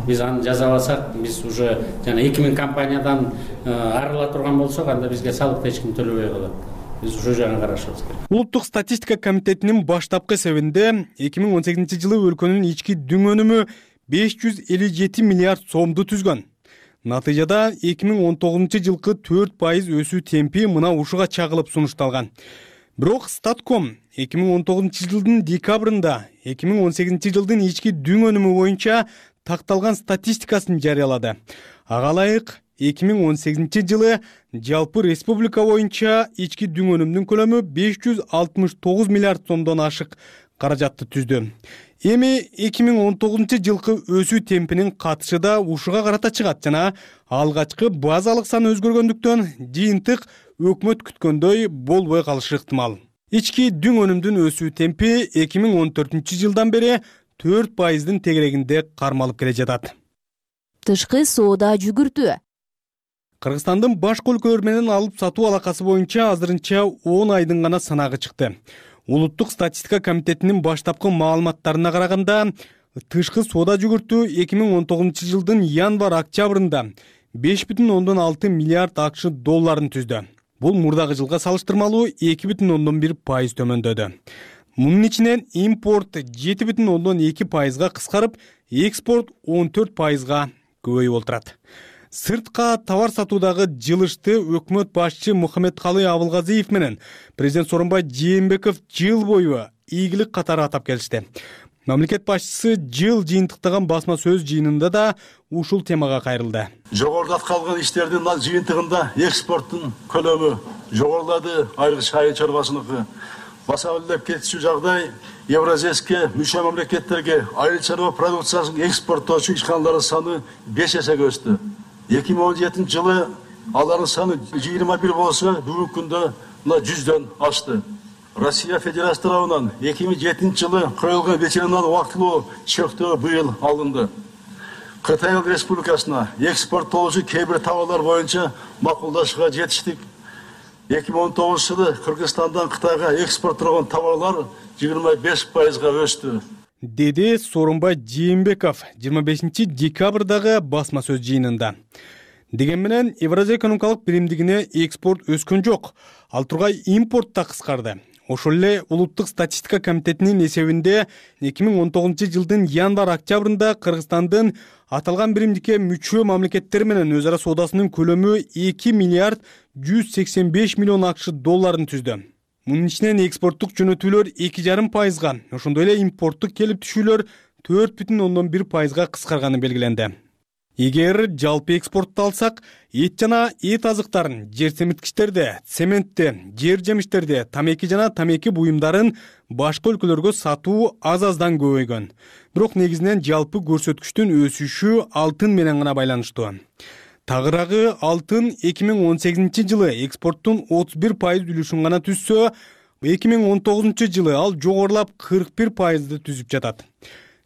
Биз аны жазабасак, биз уже жана 2000 компаниядан арыла турган болсок, анда бизге салыкты эч ким төлөбөй калат. Биз ошол жагын карашыбыз керек. Улуттук статистика комитетинин баштапкы эсебинде 2018 жылы өлкөнүн ички дүң өнүмү 557 миллиард сомду түзгөн. Натыйжада 2019 жылкы 4% өсүү темпи мына ушуга чагылып сунушталган. Бирок Статком 2019 жылдын декабрында 2018 жылдын ички дүң өнүмү боюнча такталган статистикасын жарыялады. Ага ылайык 2018 жылы жалпы республика боюнча ички дүң өнүмдүн көлөмү 569 миллиард сомдон ашык каражатты түздү. Эми 2019 жылкы өсүү темпинин катышы да ушуга карата чыгат жана алгачкы базалык сан өзгөргөндүктөн жыйынтык өкмөт күткөндөй болбой калышы ыктымал. Ички дүң өнүмдүн өсүү темпи 2014 жылдан бери 4%-дын тегерегинде кармалып келе жатат. Тышкы соода жүгүртүү. Кыргызстандын башка өлкөлөр менен алып сатуу алакасы боюнча азырынча 10 айдын гана санагы чыкты. Улуттук статистика комитетинин баштапкы маалыматтарына караганда, тышкы соода жүгүртүү 2019 жылдын январь-октябрында 5,6 миллиард акш долларын түздү. Бул мурдагы жылга салыштырмалуу 2,1% төмөндөдү. Мунун ичинен импорт 7,2%га кыскарып, экспорт 14%га көбөйүп олтурат. Сыртка товар сатуудагы жылышты өкмөт башчы Мухаммедкалый Абылгазиев менен президент Сооронбай Жээнбеков жыл бою ийгилик катары атап келишти. Мамлекет башчысы жыл жыйынтыктаган басма сөз жыйынында да ушул темага кайрылды. Жогоруда аткарылган иштердин жыйынтыгында экспорттун көлөмү жогорулады, айрыкча айыл чарбасыныкы. Баса өлөп кетишүү жагдай Евразийске мүчө мамлекеттерге айыл чарба продукциясын экспорттоочу ишканалардын саны 5 эсеге өстү. 2017 жылы алардын саны 21 болсо, бүгүнкү күндө 100дөн ашты. Россия Федерация тарабынан 2007 жылы коюлган ветеринар убактылуу чектөө быйыл алынды. Кытай Республикасына экспорттоочу кээ бир товарлар боюнча макулдашууга жетиштик. 2019 жылы Кыргызстандан Кытайга экспорттолгон товарлар 25%га өстү. Деди Сооронбай Жээнбеков 25 декабрдагы басма сөз жыйынында. Деген менен Евразия экономикалык биримдигине экспорт өскөн жок, ал тургай импорт да кыскарды. Ошол эле Улуттук статистика комитетинин эсебинде 2019 жылдын январь-октябрында Кыргызстандын аталган биримдикке мүчө мамлекеттер менен өз ара соодасынын көлөмү 2 миллиард 185 миллион акш долларын түздү. Мунун ичинен экспорттук жөнөтүүлөр 2,5%га, ошондой эле импорттук келип түшүүлөр 4,1%га кыскарганы белгиленди. Эгер жалпы экспортду алсак, эт жана эт азыктарын, жер семирткичтерди, цементти, жер жемиштерди, тамеки жана тамеки буюмдарын башка өлкөлөргө сатуу аз-аздан көбөйгөн. Бирок негизинен жалпы көрсөткүчтүн өсүшү алтын менен гана байланыштуу. Тагыраагы алтын 2018 жылы экспорттун 31% үлүшүн гана түзсө, 2019 ал жогорулап 41% түзүп жатат.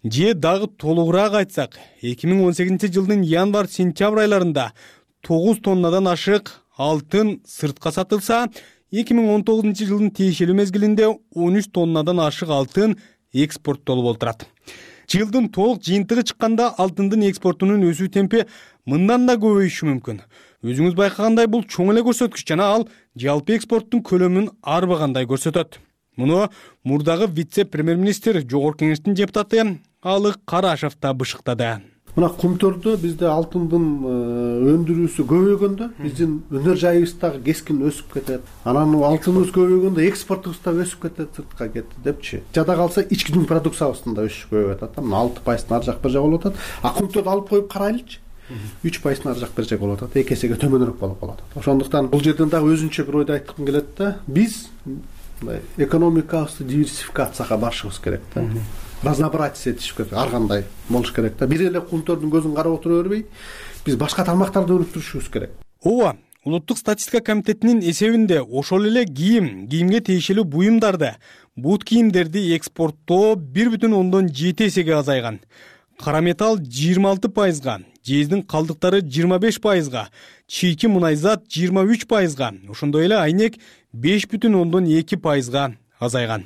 Же дагы толугураак айтсак, 2018 январь-сентябрь айларында 9 тоннадан ашык алтын сыртка сатылса, 2019 тиешелүү мезгилинде 13 тоннадан ашык алтын экспорттолуп отурат. Жылдын толук жыйынтыгы чыкканда алтындын экспортунун өсүү темпи мындан да көбөйүшү мүмкүн. Өзүңүз байкагандай бул чоң эле көрсөткүч жана ал жалпы экспорттун көлөмүн арбагандай көрсөтөт. Муну мурдагы вице-премьер-министр жогорку кеңештин депутаты Алык Карашев да бышыктады. Мына Кумтөрдө бизде алтындын өндүрүүсү көбөйгөндө биздин өнөр жайыбыз дагы кескин өсүп кетет. Анан алтыныбыз көбөйгөндө экспортубуз дагы өсүп кетет, сыртка кетти депчи. Жада калса ички дүң продукциябыздын да өсүшү көбөйүп атат. Мына 6% ар жак бир жак болуп атат. А Кумтөрдү алып коюп карайлычы. 3% ар жак бир жак болуп атат. 2 эсеге төмөнүрөөк болуп калат. Ошондуктан бул жерден дагы өзүнчө бир ойду айткым келет да. Биз экономикабызды диверсификацияга барышыбыз керек да. Разнообразие этишип керек. Ар кандай болуш керек да. Бир эле Кумтөрдүн көзүн карап отура бербей, биз башка тармактарды өнүктүрүшүбүз керек. Ооба, Улуттук статистика комитетинин эсебинде ошол эле кийимге тиешелүү буюмдарды, бут кийимдерди экспорттоо 1,7 эсеге азайган. Кара металл 26%га, жездин калдыктары 25%га, чийки мунайзат 23%га, ошондой эле айнек 5,2%га азайган.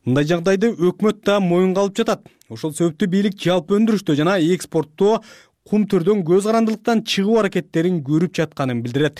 Мындай жагдайды өкмөт да моюнга алып жатат. Ошол себептүү бийлик жалпы өндүрүштө жана экспорттоо Кумтөрдөн көз карандылыктан чыгуу аракеттерин көрүп жатканын билдирет.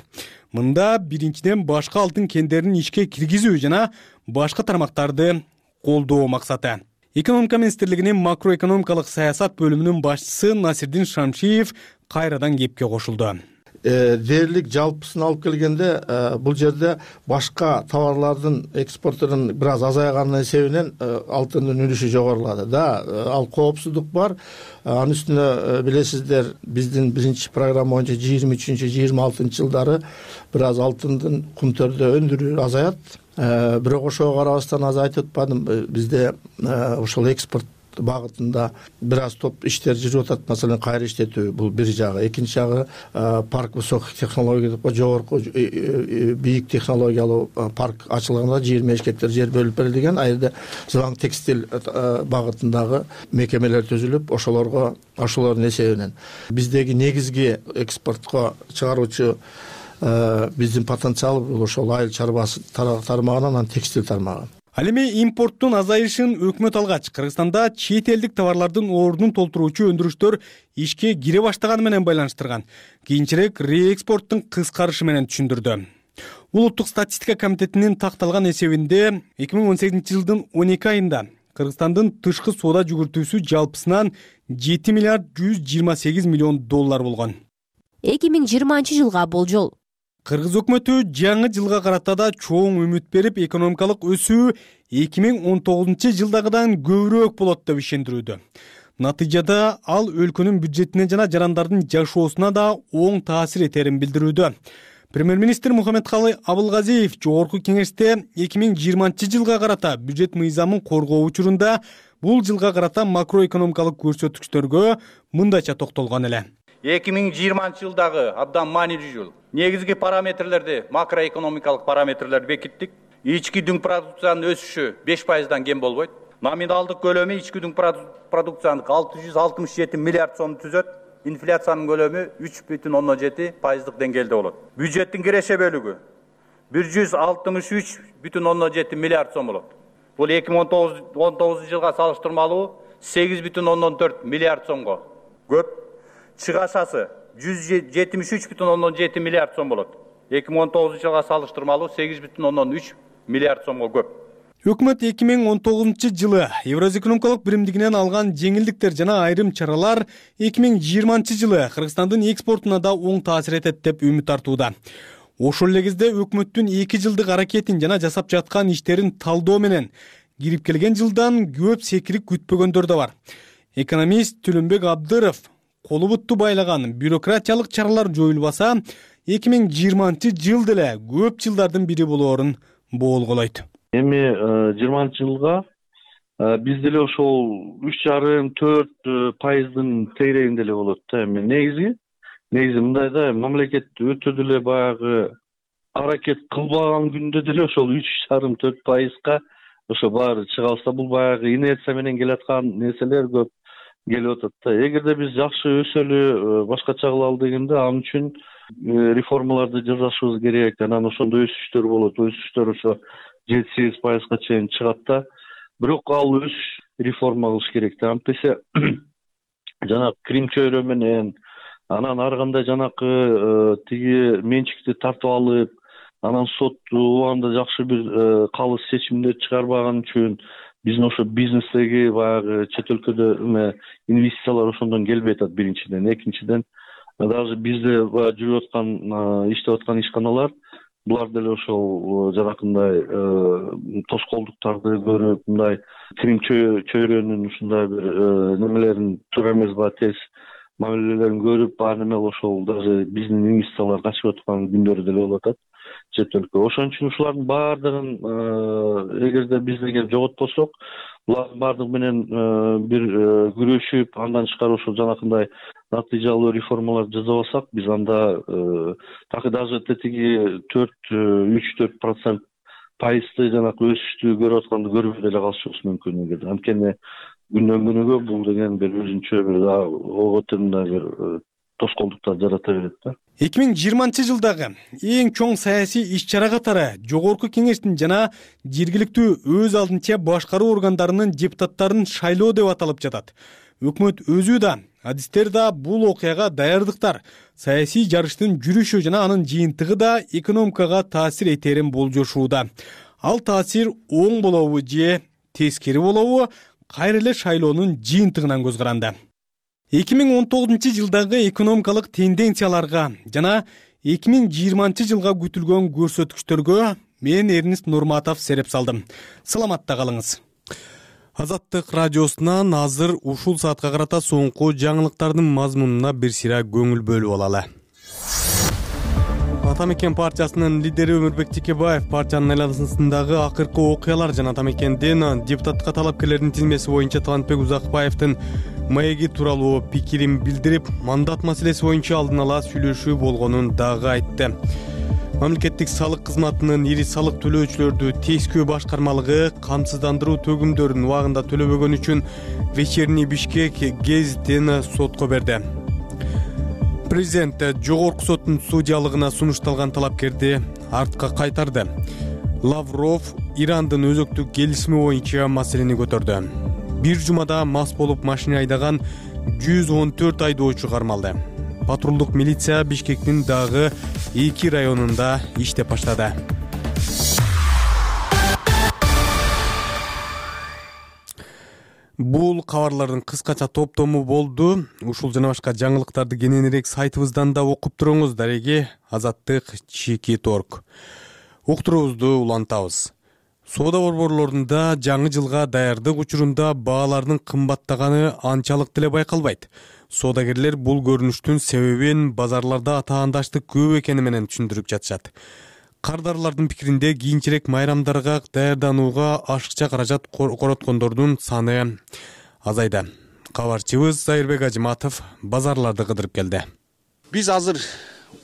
Мында биринчиден башка алтын кендерин ишке киргизүү жана башка тармактарды колдоо максаты. Экономика министрлигинин макроэкономикалык саясат бөлүмүнүн башчысы Насирдин Шамшиев кайрадан кепке кошулду. Дээрлик жалпысын алып келгенде бул жерде башка товарлардын экспортунун бир аз азайганын эсебинен алтындын үлүшү жогорулады. Да, ал коопсуздук бар. Анын үстүнө билесиздер, биздин биринчи программа боюнча 23-26 жылдары бир аз алтындын Кумтөрдө өндүрүү азаят. Бирок ошого карабастан аз айтып атпадым, бизде ошол экспорт багытында бир аз топ иштер жүрүп атат. Маселен, кайра иштетүү бул бир жагы. Экинчи жагы парк высоких технологий деп жогорку бийик технологиялуу парк ачылганда 20 гектар жер бөлүп берилген. Айрда Зылаң текстиль багытындагы мекемелер түзүлүп, ошолордун эсебинен биздеги негизги экспортко чыгаруучу биздин потенциал бул ошол айыл чарбасы тармагынан анан текстиль тармагы. Ал эми импорттун азайышын өкмөт алгач, Кыргызстанда чет элдик товарлардын ордун толтуруучу өндүрүштөр ишке кире баштаганы менен байланыштырган. Кийинчерээк реэкспорттун кыскарышы менен түшүндүрдү. Улуттук статистика комитетинин такталган эсебинде 2018 жылдын 12 айында Кыргызстандын тышкы соода жүгүртүүсү жалпысынан 7 миллиард 128 миллион доллар болгон. 2020 жылга болжол. Кыргыз өкмөтү жаңы жылга карата да чоң үмүт берип, экономикалык өсүү 2019 жылдагыдан көбүрөөк болот деп ишендирүүдө. Натыйжада ал өлкөнүн бюджетине жана жарандардын жашоосуна да оң таасир этерин билдирүүдө. Премьер-министр Мухаммедкалый Абылгазиев жогорку кеңеште 2020 жылга карата бюджет мыйзамын коргоо учурунда бул жылга карата макроэкономикалык көрсөткүчтөргө мындайча токтолгон эле. 2020 жылдагы абдан маанилүү жыл. Негизги параметрлерди, макроэкономикалык параметрлерди бекиттик. Ички дүң продукциянын өсүшү 5%дан кем болбойт. Номиналдык көлөмү ички дүң продукциянын 667 миллиард сомду түзөт. Инфляциянын көлөмү 3,7% деңгээлде болот. Бюджеттин киреше бөлүгү 163,7 миллиард сом болот. Бул 2019 жылга салыштырмалуу 8,4 миллиард сомго көп. Чыгашасы 173,7 миллиард сом болот. 2019 жылга салыштырмалуу 8,3 миллиард сомго көп. Өкмөт 2019 жылы Евразия экономикалык биримдигинен алган жеңилдиктер жана айрым чаралар 2020 жылы Кыргызстандын экспортуна да оң таасир этет деп үмүт артууда. Ошол эле кезде өкмөттүн 2 жылдык аракетин жана жасап жаткан иштерин талдоо менен кирип келген жылдан көп секирик күтпөгөндөр да бар. Экономист Түлөнбек Абдыров колу бутту байлаган бюрократиялык чаралар жоюлбаса, 2020 жыл деле көп жылдардын бири болоорун боолголойт. Эми 20 жылга биз деле ошол 3,5-4% тегерегинде эле болот да. Эми негизи мындай да, мамлекет өтө деле баягы аракет кылбаган күндө деле ошол 3,5–4%га ошо баары чыга алса, бул баягы инерция менен келаткан нерселер көп келип атат да. Эгерде биз жакшы өсөлү, башкача кылалы дегенде, ал үчүн реформаларды жасашыбыз керек. Анан ошондо өсүштөр болот. Өсүштөр ошо 7–8%га чейин чыгат да. Бирок ал өсүш реформа кылыш керек да. Антесе жанагы Крим чөйрө менен, анан ар кандай жанакы тиги менчикти тартып алып, анан сот убагында жакшы бир калыс чечимдер чыгарбаган үчүн биздин ошо бизнестеги баягы чет өлкөдө инвестициялар ошондон келбей атат биринчиден. Экинчиден, даже бизде жүрүп аткан, иштеп аткан ишканалар, булар деле ошол жанакындай тоскоолдуктарды көрүп, мындай Крим чөйрөнүн ушундай бир немелерин туура эмес тез мамилелерин көрүп, баары неме ошол даже биздин инвестициялар качып аткан күндөрү деле болуп атат чет өлкө. Ошон үчүн ушулардын баардыгын эгерде бизде келип жоготпосок, булардын баардыгы менен бир күрөшүп, андан тышкары ошол жанакындай натыйжалуу реформалар жасабасак, биз анда так даже тетиги 3–4% жанакы өсүштү көрүп атканды көрбөй деле калышыбыз мүмкүн эгерде. Анткени күндөн күнүгө бул деген бир өзүнчө бир ого теңдей бир тоскоолдуктар жарата берет да. 2020-жылдагы эң чоң саясий иш-чара катары Жогорку Кеңештин жана жергиликтүү өз алдынча башкаруу органдарынын депутаттарын шайлоо деп аталып жатат. Өкмөт өзү да, адистер да бул окуяга даярдыктар. Саясий жарыштын жүрүшү жана анын жыйынтыгы да экономикага таасир этерин болжошууда. Ал таасир оң болобу же тескери болобу, кайра эле шайлоонун жыйынтыгынан көз каранды. 2019-жылдагы экономикалык тенденцияларга жана 2020-жылга күтүлгөн көрсөткүчтөргө мен Эрнист Нурматов сереп салдым. Саламатта калыңыз. Азаттык радиосунан азыр ушул саатка карата соңку жаңылыктардын мазмунуна бир сыйра көңүл бөлүп алалы. Ата мекен партиясынын лидери Өмүрбек Текебаев партиянын айланасындагы акыркы окуялар жана Ата мекендин депутатка талапкерлердин тизмеси боюнча Талантбек Узакбаевдин маеги тууралуу пикирин билдирип, мандат маселеси боюнча алдын ала сүйлөшүү болгонун дагы айтты. Мамлекеттик салык кызматынын ири салык төлөөчүлөрдү тескөө башкармалыгы камсыздандыруу төгүмдөрүн убагында төлөбөгөн үчүн Вечерний Бишкек гезитин сотко берди. Президент жогорку соттун судьялыгына сунушталган талапкерди артка кайтарды. Лавров Ирандын өзөктүк келишими боюнча маселени көтөрдү. Бир жумада мас болуп машина айдаган 114 айдоочу кармалды. Патрулдук милиция Бишкектин дагы 2 районунда иштеп баштады. Бул кабарлардын кыскача топтому болду. Ушул жана башка жаңылыктарды кененирээк сайтыбыздан да окуп туруңуз. Дареги Азаттык ЧК.org. Уктуруубузду улантабыз. Соода борборлорунда жаңы жылга даярдык учурунда баалардын кымбаттаганы анчалык деле байкалбайт. Соодагерлер бул көрүнүштүн себебин базарларда атаандаштык көп экени менен түшүндүрүп жатышат. Кардарлардын пикиринде кийинчерээк майрамдарга даярданууга ашыкча каражат короткондордун саны азайды. Кабарчыбыз Зайырбек Ажыматов базарларды кыдырып келди. Биз азыр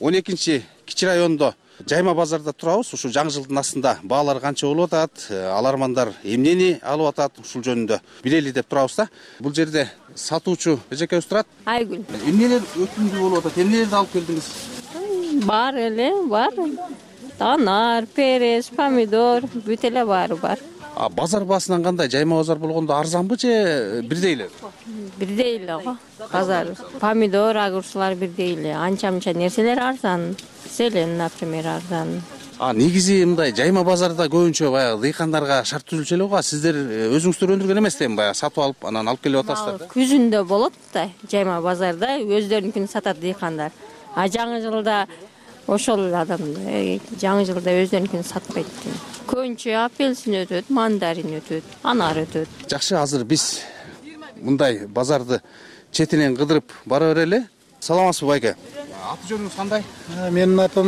12-кичи райондо жайма базарда турабыз. Ушу жаңы жылдын астында баалар канча болуп атат, алармандар эмнени алып атат, ушул жөнүндө билели деп турабыз да. Бул жерде сатуучу эжекебиз турат. Айгүл. Эмнелер өтүмдүү болуп атат? Эмнелерди алып келдиңиз? Бар эле, бар. Анар, перес, помидор, бүт эле баары бар. Базар баасынан кандай? Жайма базар болгондо арзанбы же бирдей эле? Бирдей эле го. Базар, помидор, огурчулар бирдей эле. Анча-мынча нерселер арзан. Селен, например, арзан. Негизи мындай жайма базарда көбүнчө баягы дыйкандарга шарт түзүлчү эле го. Сиздер өзүңүздөр өндүргөн эместен баягы сатып алып, анан алып келип атасыздар. Күзүндө болот да, жайма базарда өздөрүнүкүн сатат дыйкандар. Жаңы жылда ошол адамдар жаңы жылда өздөрүнүкүн сатпайт. Көбүнчө апельсин өтөт, мандарин өтөт, анар өтөт. Жакшы, азыр биз мындай базарды четинен кыдырып бара берели. Саламатсызбы байке? Аты жөнүңүз кандай? Менин атым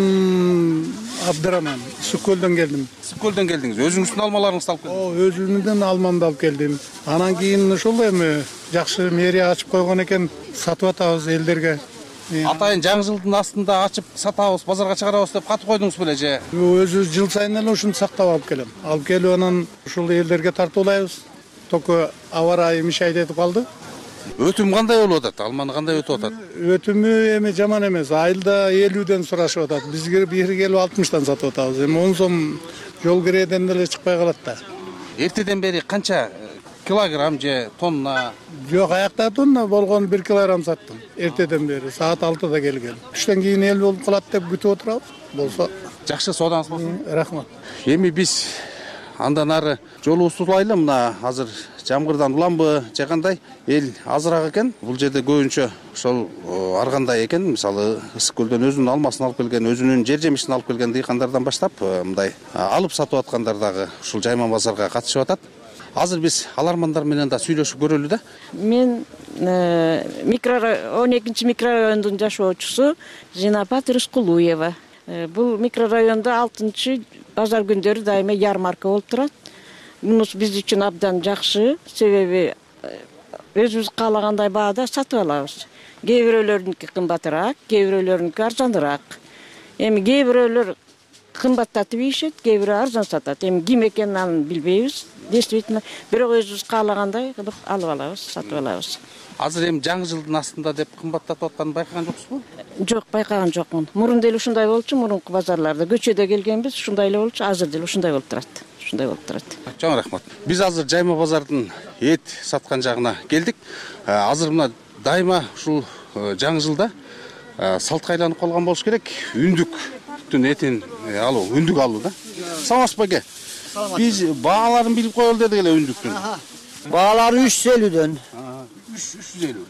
Абдыраман. Сүккөлдөн келдим. Сүккөлдөн келдиңиз. Өзүңүздүн алмаларыңызды алып келдиңиз? Өзүмдүн алмамды алып келдим. Анан кийин ушул эми жакшы мэрия ачып койгон экен, сатып атабыз элдерге. Атайын жаңы жылдын астында ачып сатабыз, базарга чыгарабыз деп катып койдуңуз беле же? Өзүбүз жыл сайын эле ушуну сактап алып келем. Алып келип анан ушул элдерге тартуулайбыз. Только аба ырайы мишайт этип калды. Өтүм кандай болуп атат? Алманы кандай өтүп атат? Өтүмү эми жаман эмес. Айылда 50ден сурашып атат. Бизге бери келип 60тан сатып атабыз. Эми 10 сом жол киреден деле чыкпай калат да. Эртеден бери канча килограмм же тонна? Жок, аякта тонна болгон 1 килограмм саттым. Эртеден бери саат 6да келген. Түштөн кийин эл болуп калат деп күтүп отурабыз. Болсо жакшы, соодаңыз болсун. Рахмат. Эми биз андан ары жолубузду улайлы. Мына азыр жамгырдан уламбы же кандай? Эл азыраак экен. Бул жерде көбүнчө ошол ар кандай экен. Мисалы Ысык көлдөн өзүнүн алмасын алып келген, өзүнүн жер жемишин алып келген дыйкандардан баштап мындай алып сатып аткандар дагы ушул жайма базарга катышып атат. Азыр биз алармандар менен да сүйлөшүп көрөлү да. Мен 12 микрорайондун жашоочусу Жинапат Рыскулуева. Бул микрорайондо 6 базар күндөрү дайыма ярмарка болуп турат. Мунус биз үчүн абдан жакшы, себеби өзүбүз каалагандай баада сатып алабыз. Кээ бирөөлөрүнүкү кымбатыраак, кээ бирөөлөрүнүкү арзаныраак. Эми кээ бирөөлөр кымбаттатып ийишет, кээ бирөө арзан сатат. Эми ким экенин аны билбейбиз. Действительно, бирок өзүбүз каалагандай кылып алып алабыз, сатып алабыз. Азыр эми жаңы жылдын астында деп кымбаттатып атканын байкаган жоксузбу? Жок, байкаган жокмун. Мурун деле ушундай болчу, мурунку базарларда көчөдө келгенбиз, ушундай эле болчу. Азыр деле ушундай болуп турат. Ушундай болуп турат. Чоң рахмат. Биз азыр жайма базардын эт саткан жагына келдик. Азыр мына дайыма ушул жаңы жылда салтка айланып калган болуш керек. Үндүктүн этин алуу, үндүк алуу да. Саламатсызбы эке? Биз бааларын билип коелу дедик эле үндүктүн. Баалары 350дөн.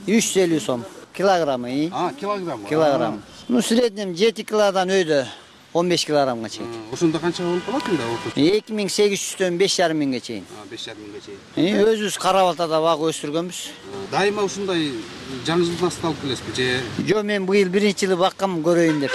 350 сом. Килограммы. Килограмм. Килограмм. Ну, среднем 7 килодан өйдө 15 килограммга чейин. Ошондо канча болуп калат анда? 2800дөн 5500 чейин. 5500 чейин. Өзүбүз карап атада бак өстүргөнбүз. Дайыма ушундай жаңы жылдын астына алып келесизби же? Жок, мен быйыл биринчи жылы баккам көрөйүн деп.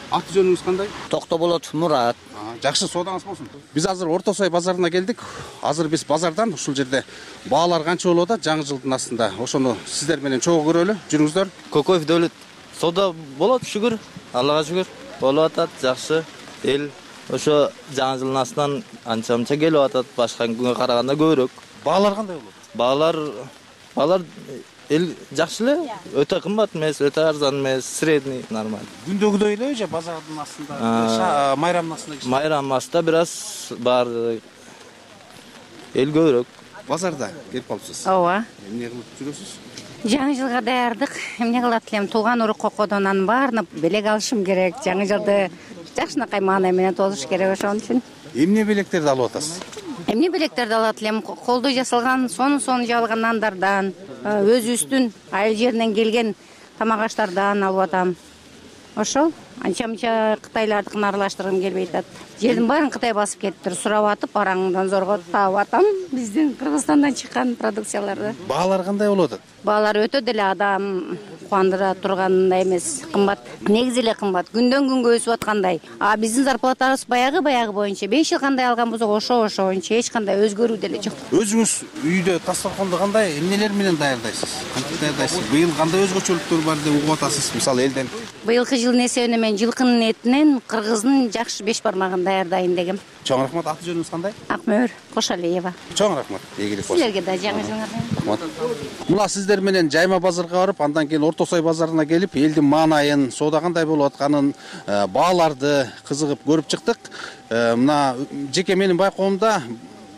Аты жөнүңүз кандай? Токтоболот Мурат. Жакшы, соодаңыз болсун. Биз азыр Орто Сой базарына келдик. Азыр биз базардан ушул жерде баалар канча болуп атат жаңы жылдын астында. Ошону сиздер менен чогуу көрөлү. Жүрүңүздөр. Кокоев Дөлөт. Соода болот, шүгүр. Аллага шүгүр. Болуп атат, жакшы. Эл ошо жаңы жылдын астынан анча-мынча келип атат, башка күнгө караганда көбүрөөк. Баалар кандай болот? Баалар эл жакшы эле, өтө кымбат эмес, өтө арзан эмес, средний, нормаль. Күндөгүдөй эле же базардын астында, майрамдын астында? Майрамдын астында бир аз бар, эл көбүрөөк. Базарда келип калыпсыз? Ооба. Эмне кылып жүрөсүз? Жаңы жылга даярдык. Эмне кылат элем? Туулган урук кокодон анын баарына белек алышым керек. Жаңы жылды жакшынакай маанай менен тосуш керек ошон үчүн. Эмне белектерди алып атасыз? Эмне белектерди алат элем? Колдой жасалган, сонун жабылган нандардан, өзүбүздүн айыл жеринен келген тамак аштардан алып атам. Ошол анча-мынча кытайлардыкын аралаштыргым келбей атат. Жердин баарын Кытай басып кетиптир. Сурап атып, араңдан зорго таап атам биздин Кыргызстандан чыккан продукцияларды. Баалар кандай болуп атат? Баалар өтө деле адам кубандыра тургандай эмес, кымбат. Негизи эле кымбат. Күндөн күнгө өсүп аткандай. Биздин зарплатабыз баягы боюнча 5 жыл кандай алганбызбы, ошо боюнча эч кандай өзгөрүү деле жок. Өзүңүз үйдө дасторконду кандай эмнелер менен даярдайсыз? Кантип даярдайсыз? Быйыл кандай өзгөчөлүктөр бар деп угуп атасыз? Мисалы элден. Быйылкы жылдын эсебине мен жылкынын этинен кыргыздын жакшы 5 бармагын даярдайын дегем. Чоң рахмат. Аты жөнүңүз кандай? Акмөр Кошалиева. Чоң рахмат. Ийгилик болсун. Силерге да жаңы жылыңарга. Рахмат. Мына сиздер менен жайма базарга барып, андан кийин Орто Сой базарына келип, элдин маанайын, соода кандай болуп атканын, бааларды кызыгып көрүп чыктык. Мына жеке менин байкоомдо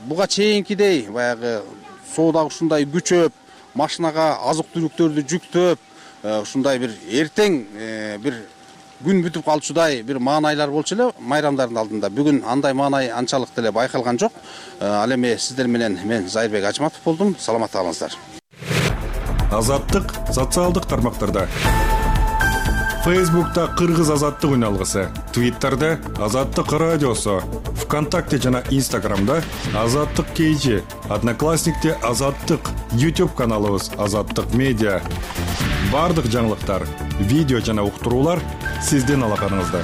буга чейинкидей баягы соода ушундай күчөп, машинага азык-түлүктөрдү жүктөп, ушундай бир эртең бир күн бүтүп калчудай бир маанайлар болчу эле майрамдардын алдында. Бүгүн андай маанай анчалык деле байкалган жок. Ал эми сиздер менен мен Зайырбек Ажматов болдум. Саламатта калыңыздар. Азаттык социалдык тармактарда. Facebook'ta Кыргыз азаттык үн алгысы, Twitter'де Азаттык радиосу, ВКонтакте жана Instagram'да Азаттык KG, Одноклассникте Азаттык, YouTube каналыбыз Азаттык медиа. Бардык жаңылыктар, видео жана уктуруулар сиздин алаканыңызда.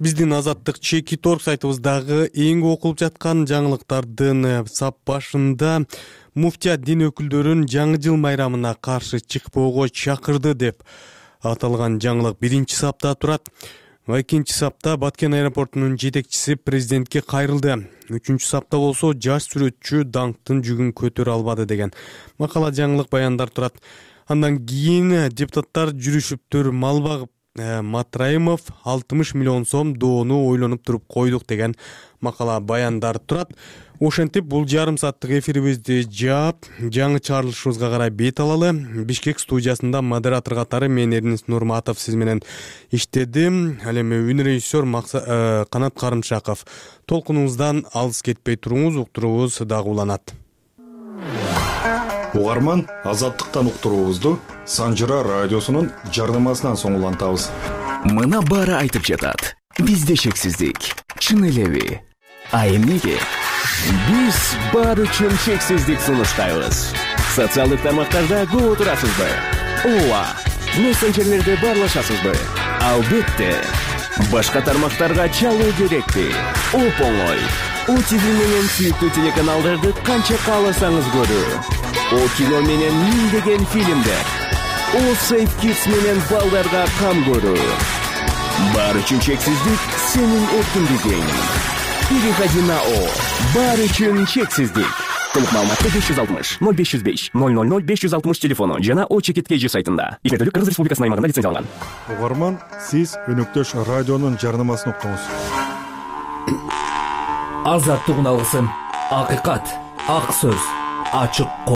Биздин Азаттык чекит орг сайтыбыздагы эң окулуп жаткан жаңылыктардын сап башында муфтият дин өкүлдөрүн жаңы жыл майрамына каршы чыкпоого чакырды деп аталган жаңылык биринчи сапта турат. Экинчи сапта Баткен аэропортунун жетекчиси президентке кайрылды. Үчүнчү сапта болсо жаш сүрөтчү даңктын жүгүн көтөрө албады деген макала жаңылык баяндар турат. Андан кийин депутаттар жүрүшүптүр. Мал багып Матраимов 60 миллион сом доону ойлонуп туруп койдук деген макала баяндар турат. Ошентип бул жарым сааттык эфирибизди жаап, жаңы чыгарылышыбызга карай бет алалы. Бишкек студиясында модератор катары мен Эрнис Нурматов сиз менен иштедим. Ал эми үн режиссер Канат Карымшаков. Толкунубуздан алыс кетпей туруңуз, уктуруубуз дагы уланат. Угарман, Азаттыктан уктуруубузду Санжыра радиосунун жардамасынан соң улантабыз. Мына баары айтып жатат. Бизде шексиздик. Чын элеби? А эмнеге? Биз баары үчүн шексиздик сунуштайбыз. Социалдык тармактарда көп отурасызбы? Ооба. Мессенджерлерде баарлашасызбы? Албетте. Башка тармактарга чалуу керекпи? Оп-оңой. ОТВ менен сүйүктүү телеканалдарды канча кааласаңыз көрүү. О кино менен миңдеген фильмдер. О Safe Kids менен балдарга кам көрүү. Баары үчүн шексиздик сенин эркиндигиң. Переходи на О. Баары үчүн шексиздик. Толук маалыматты 560 0505 000 560 телефону жана О чекит KG сайтында. Ишмердүүлүк Кыргыз Республикасынын аймагында лицензияланган. Угарман, сиз өнөктөш радионун жарнамасын уктуңуз. Азаттык уналгысын. Акыйкат, ак сөз, ачык